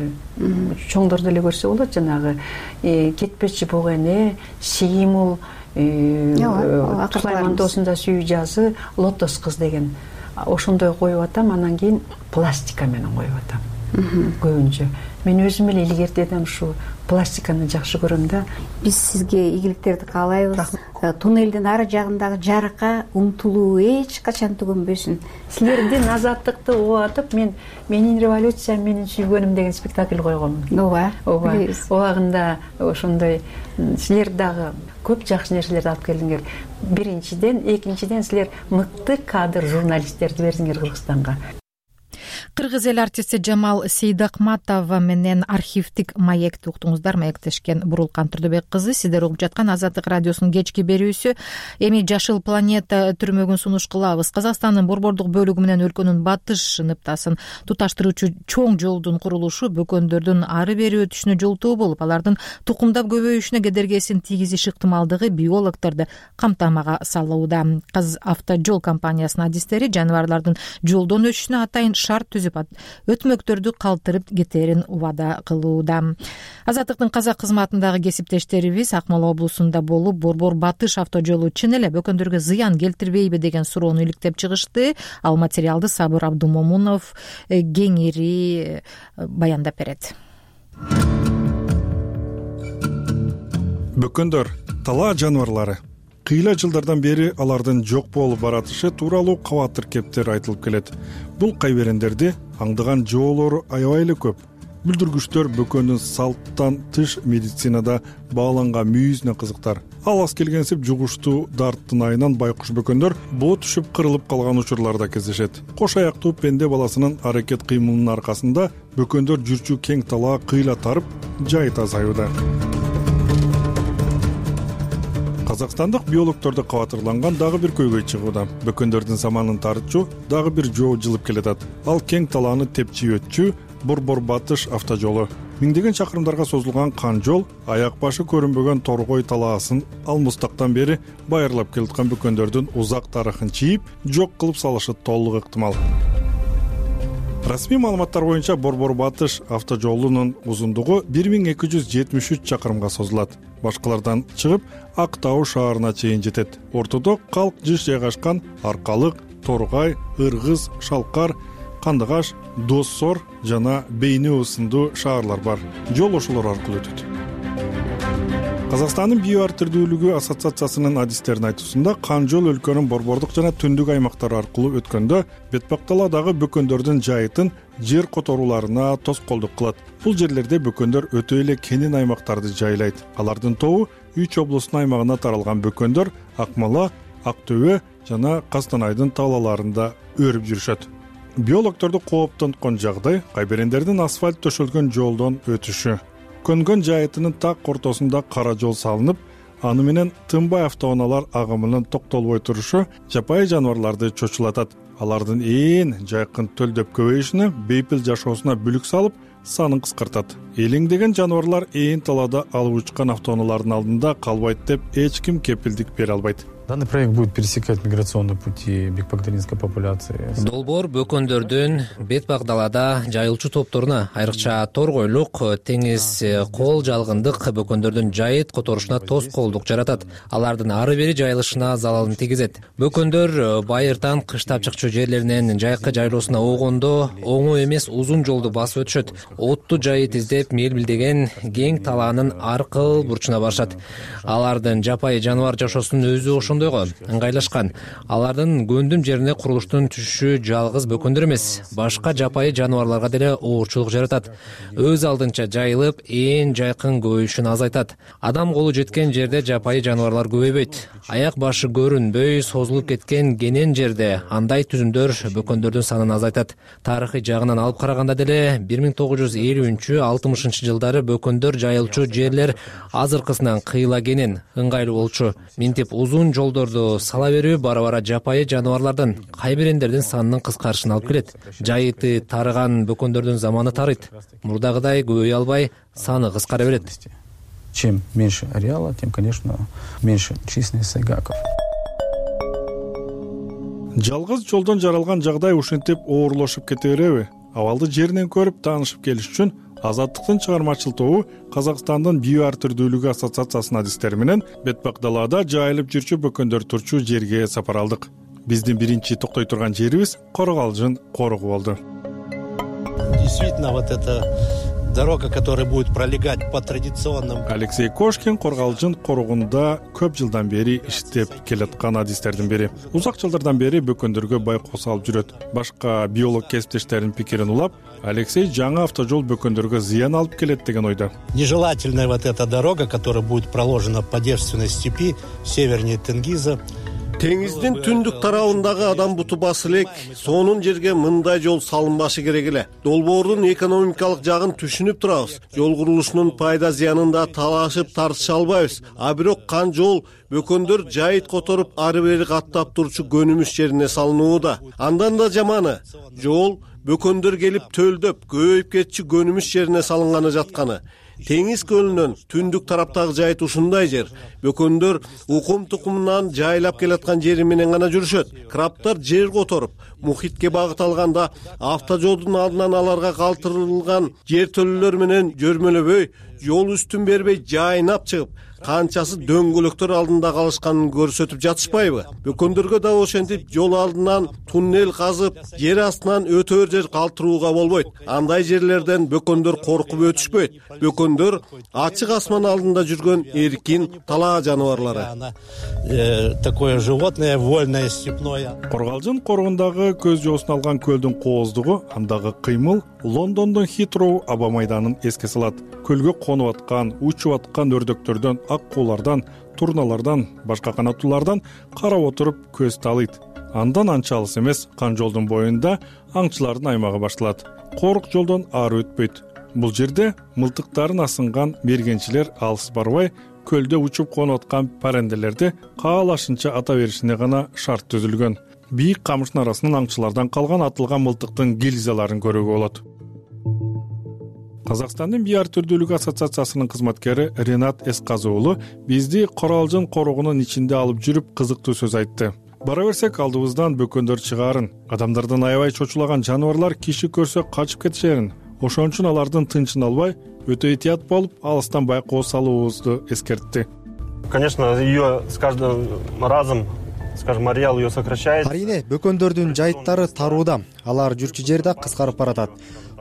чоңдор деле көрсө болот, жанагы кетпечи буг эне, Симул, Сулайман доосунда сүйүү жазы, Лотос кыз деген ошондой коюп атам, анан кийин пластика менен коюп атам. Көбүнчө мен өзүм эле илгертедим ушу пластиканы жакшы көрөм да. Биз сизге ийгиликтерди каалайбыз. Туннелдин ары жагындагы жарыкка умтулуу эч качан түгөнбөсүн. Силердин азаттыкты убатып, мен менин революциям, менин сүйгөнүм деген спектакль койгонмун. Ооба, ооба. Убагында ошондой силер дагы көп жакшы нерселерди алып келдиңер. Биринчиден, экинчиден силер мыкты кадр журналисттерди бердиңер Кыргызстанга. Кыргыз эл артисти Жамал Сейдакматова менен архивдик маекти уктуңуздар. Маектешкен Бурулкан Турдубек кызы. Сиздер угуп жаткан Азаттык радиосунун кечки берүүсү. Эми Жашыл планета түрмөгүн сунуш кылабыз. Казакстандын борбордук бөлүгү менен өлкөнүн батыш ныптасын туташтыруучу чоң жолдун курулушу бөкөндөрдүн ары бери өтүшүнө жолтоо болуп, алардын тукумдап көбөйүшүнө кедергесин тийгизиш ыктымалдыгы биологдорду камтамага салууда. Казавтожол компаниясынын адистери жаныбарлардын жолдон өтүшүнө атайын шарт түзүп өтмөктөрдү калтырып кетерин убада кылууда. Азаттыктын казак кызматындагы кесиптештерибиз Акмола облусунда болуп, Борбор Батыш автожолу чын эле бөкөндөргө зыян келтирбейби деген суроону иликтеп чыгышты. Ал материалды Сабыр Абдумомунов кеңири баяндап берет. Бөкөндөр талаа жаныбарлары. Кыйла жылдардан бери алардын жок болуп баратышы тууралуу кабатыр кептер айтылып келет. Бул кайберендерди аңдыган жоолору аябай эле көп. Бүлдүргүчтөр бөкөндүн салттан тыш медицинада бааланган мүйүзүнө кызыктар. Ал аз келгенсип жугуштуу дарттын айынан байкуш бөкөндөр боо түшүп кырылып калган учурларда кездешет. Кош аяктуу пенде баласынын аракет кыймылынын аркасында бөкөндөр жүрчү кең талаа кыйла тарып, жайыт азаюуда. Казакстандык биологдорду кабатырланган дагы бир көйгөй чыгууда. Бөкөндөрдүн саманын тартчу дагы бир жоо жылып келатат. Ал кең талааны тепчи өтчү Борбор Батыш автожолу. Миңдеген чакырымдарга созулган кан жол аяк башы көрүнбөгөн торгой талаасын ал мустактан бери байырлап келаткан бөкөндөрдүн узак тарыхын чийип, жок кылып салышы толук ыктымал. Расмий маалыматтар боюнча Борбор Батыш автожолунун узундугу бир миң эки жүз жетимиш үч чакырымга созулат. Башкалардан чыгып Ак Тау шаарына чейин жетет. Ортодо калк жыш жайгашкан Аркалык, Торгай, Ыргыз, Шалкар, Кандыгаш, Доссор жана Бейнөө сындуу шаарлар бар. Жол ошолор аркылуу өтөт. Казакстандын био ар түрдүүлүгү ассоциациясынын адистеринин айтуусунда кан жол өлкөнүн борбордук жана түндүк аймактары аркылуу өткөндө бетпакталадагы бөкөндөрдүн жайытын жер которууларына тоскоолдук кылат. Бул жерлерде бөкөндөр өтө эле кенен аймактарды жайлайт. Алардын тобу үч облустун аймагына таралган бөкөндөр Акмола, Актөбө жана Кастанайдын талааларында өрүп жүрүшөт. Биологдорду кооптонткон жагдай кайберендердин асфальт төшөлгөн жолдон өтүшү. Көнгөн жайытынын так ортосунда кара жол салынып, аны менен тынбай автоунаалар агымынын токтолбой турушу жапайы жаныбарларды чочулатат. Алардын ээн жайкын төлдөп көбөйүшүнө, бейпил жашоосуна бүлүк салып, санын кыскартат. Элеңдеген жаныбарлар ээн талаада алып учкан автоунаалардын алдында калбайт деп эч ким кепилдик бере албайт. Данный проект будет пересекать миграционные пути бекбагдалинской популяции. Долбоор бөкөндөрдүн бетпак далада жайылчу топторуна, айрыкча торгойлук, теңиз кол жалгындык бөкөндөрдүн жайыт которушуна тоскоолдук жаратат. Алардын ары бери жайылышына залалын тийгизет. Бөкөндөр байыртан кыштап чыкчу жерлеринен жайкы жайлоосуна огондо оңой эмес узун жолду басып өтүшөт. Отту жайыт издеп мелбилдеген кең талаанын аркыл бурчуна барышат. Алардын жапайы жаныбар жашоосунун өзү ошондойго ыңгайлашкан. Алардын көндүм жерине курулуштун түшүшү жалгыз бөкөндөр эмес, башка жапайы жаныбарларга деле оорчулук жаратат. Өз алдынча жайылып, ээн жайкын көбөйүшүн азайтат. Адам колу жеткен жерде жапайы жаныбарлар көбөйбөйт. Аяк башы көрүнбөй созулуп кеткен кенен жерде андай түзүмдөр бөкөндөрдүн санын азайтат. Тарыхый жагынан алып караганда деле бир миң тогуз жүз элүүнчү алтымышынчы жылдары бөкөндөр жайылчу жерлер азыркысынан кыйла кенен, ыңгайлуу болчу. Минтип узун жол жолдорду сала берүү бара бара жапайы жаныбарлардын кайбирендердин санынын кыскарышына алып келет. Жайыты тарыган бөкөндөрдүн заманы тарыйт. Мурдагыдай көбөйө албай, саны кыскара берет. Чем меньше ареала, тем, конечно, меньше численность сайгаков. Жалгыз жолдон жаралган жагдай ушинтип оорлошуп кете береби? Абалды жеринен көрүп таанышып келиш үчүн Азаттыктын чыгармачыл тобу Казакстандын био ар түрдүүлүгү ассоциациясынын адистери менен бетпак далаада жайылып жүрчү бөкөндөр турчу жерге сапар алдык. Биздин биринчи токтой турган жерибиз Коргалжын корогу болду. Действительно, вот эта дорога, которая будет пролегать по традиционным... Алексей Кошкин Коргалжын корогунда көп жылдан бери иштеп келаткан адистердин бири. Узак жылдардан бери бөкөндөргө байкоо салып жүрөт. Башка биолог кесиптештеринин пикирин улап, Алексей жаңы автожол бөкөндөргө зыян алып келет деген ойдо. Нежелательная вот эта дорога, которая будет проложена по девственной степи севернее Тенгиза. Теңиздин түндүк тарабындагы адам буту басы элек, сонун жерге мындай жол салынбашы керек эле. Долбоордун экономикалык жагын түшүнүп турабыз. Жол курулушунун пайда зыянында талашып тартыша албайбыз. А бирок кан жол бөкөндөр жайыт которуп ары бери каттап турчу көнүмүш жерине салынууда. Андан да жаманы жол бөкөндөр келип төлдөп, көбөйүп кетчү көнүмүш жерине салынганы жатканы. Теңиз көлүнөн түндүк тараптагы жайыт ушундай жер. Бөкөндөр укум тукумунан жайлап келаткан жери менен гана жүрүшөт. Крабтар жер которуп, мухитке багыт алганда автожолдун алдынан аларга калтырылган жер төлөлөр менен жөрмөлөбөй, жол үстүн бербей жайнап чыгып, канчасы дөңгөлөктөр алдында калышканын көрсөтүп жатышпайбы? Бөкөндөргө да ошентип жол алдынан туннел казып, жер астынан өтөр жер калтырууга болбойт. Андай жерлерден бөкөндөр коркуп өтүшпөйт. Бөкөндөр ачык асман алдында жүргөн эркин талаа жаныбарлары. Такое животное вольное степное. Коргалжын корогундагы көз жоосун алган көлдүн кооздугу, андагы кыймыл Лондондун Хитроу аба майданын эске салат. Көлгө конуп аткан, учуп аткан өрдөктөрдөн, ак куулардан, турналардан, башка канаттуулардан карап отуруп көз таалыйт. Андан анча алыс эмес кан жолдун боюнда аңчылардын аймагы башталат. Корук жолдон ары өтпөйт. Бул жерде мылтыктарын асынган мергенчилер алыс барбай, көлдө учуп конуп аткан паренделерди каалашынча ата беришине гана шарт түзүлгөн. Бийик камыштын арасынан аңчылардан калган атылган мылтыктын гильзаларын көрүүгө болот. Казакстандын био ар түрдүүлүгү ассоциациясынын кызматкери Ренат Эсказы уулу бизди Коралжын корогунун ичинде алып жүрүп кызыктуу сөз айтты. Бара берсек алдыбыздан бөкөндөр чыгаарын, адамдардан аябай чочулаган жаныбарлар киши көрсө качып кетишерин. Ошон үчүн алардын тынчын албай, өтө этият болуп, алыстан байкоо салуубузду эскертти. Конечно, ее с каждым разом, скажем, ареал ее сокращает. Арийне, бөкөндөрдүн жайыттары тарууда, алар жүрчү жер да кыскарып баратат.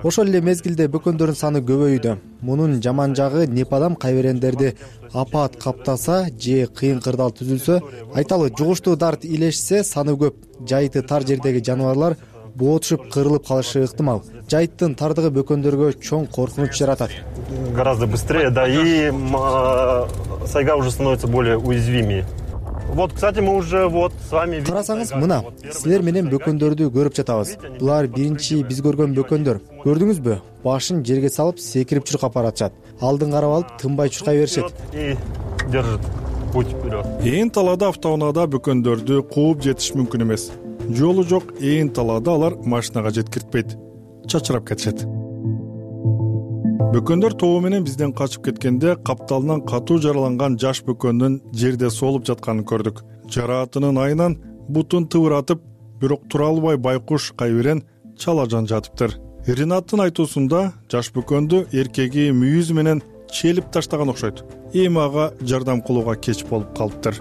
Ошол эле мезгилде бөкөндөрдүн саны көбөйүүдө. Мунун жаман жагы непадам кайберендерди апаат каптаса же кыйын кырдаал түзүлсө, айталы жугуштуу дарт илешсе саны көп. Жайыты тар жердеги жаныбарлар боотушуп кырылып калышы ыктымал. Жайыттын тардыгы бөкөндөргө чоң коркунуч жаратат. Гораздо быстрее, да, и сайга уже становится более уязвимее. Вот, кстати, мы уже вот с вами... Карасаңыз, мына, силер менен бөкөндөрдү көрүп жатабыз. Булар биринчи биз көргөн бөкөндөр. Көрдүңүзбү? Башын жерге салып, секирип чуркап баратышат. Алдын карап алып, тынбай чуркай беришет. И держит путь вперед. Ээн талаада автоунаада бөкөндөрдү кууп жетиш мүмкүн эмес. Жолу жок ээн талаада алар машинага жеткиртпейт. Чачырап кетишет. Бөкөндөр тобу менен бизден качып кеткенде капталынан катуу жараланган жаш бөкөндүн жерде солуп жатканын көрдүк. Жараатынын айынан бутун тыбыратып, бирок тура албай байкуш кайбирен чалажан жатыптыр. Ринаттын айтуусунда жаш бөкөндү эркеги мүйүзү менен челип таштаган окшойт. Эми ага жардам кылууга кеч болуп калыптыр.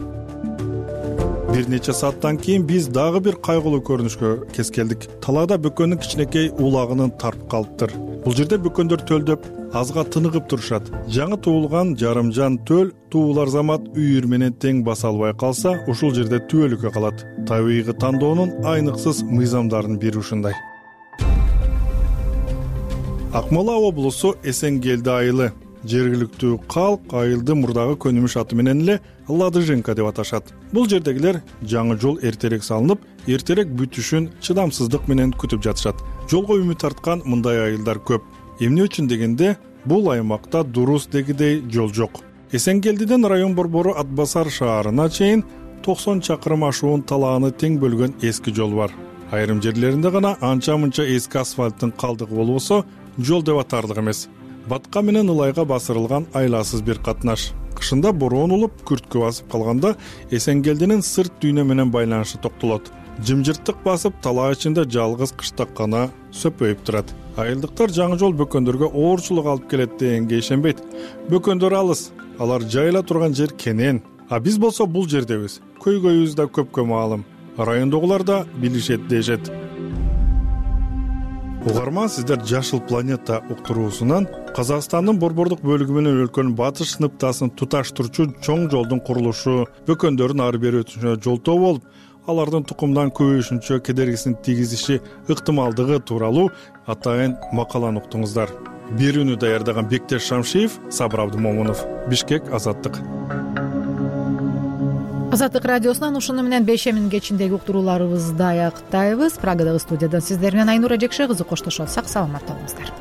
Бир нече сааттан кийин биз дагы бир кайгылуу көрүнүшкө кез келдик. Талаада бөкөндүн кичинекей улагынын тарып калыптыр. Бул жерде бөкөндөр төлдөп, азга тыныгып турушат. Жаңы туулган жарымжан төл туулар замат үйүр менен тең баса албай калса, ушул жерде түбөлүккө калат. Табигый тандоонун айныксыз мыйзамдарынын бири ушундай. Акмола облусу Эсенгелди айылы. Жергиликтүү калк айылды мурдагы көнүмүш аты менен эле Ладыженка деп аташат. Бул жердегилер жаңы жол эртерээк салынып, эртерээк бүтүшүн чыдамсыздык менен күтүп жатышат. Жолго үмүт арткан мындай айылдар көп. Эмне үчүн дегенде, бул аймакта дурус дегидей жол жок. Эсенгелдиден район борбору Атбасар шаарына чейин токсон чакырым ашуун талааны тең бөлгөн эски жол бар. Айрым жерлеринде гана анча мынча эски асфальттын калдыгы болбосо жол деп атарлык эмес. Батка менен ылайга басырылган айласыз бир катнаш. Кышында бороон улуп, күрткө басып калганда Эсенгелдинин сырт дүйнө менен байланышы токтолот. Жымжырттык басып, талаа ичинде жалгыз кыштак гана сөпөйүп турат. Айылдыктар жаңы жол бөкөндөргө оорчулук алып келет дегенге ишенбейт. Бөкөндөр алыс, алар жайыла турган жер кенен. А биз болсо бул жердебиз. Көйгөйүбүз да көпкө маалым. Райондогулар да билишет дешет. Угарман, сиздер Жашыл планета уктуруусунан Казакстандын борбордук бөлүгү менен өлкөнүн батыш сыныптасын туташтырчу чоң жолдун курулушу, бөкөндөрдүн ары бери өтүшүнө жолтоо болуп, алардын тукумдан көбөйүшүнчө кедергисин тийгизиши ыктымалдыгы тууралуу атайын макаланы уктуңуздар. Берүүнү даярдаган Бектеш Шамшиев, Сабыр Абдымомунов, Бишкек, Азаттык. Азаттык радиосунан ушуну менен бешемин кечиндеги уктурууларыбызды аяктайбыз. Прагадагы студиядан сиздер менен Айнура Жекше кызы коштошот. Сак саламатта болуңуздар.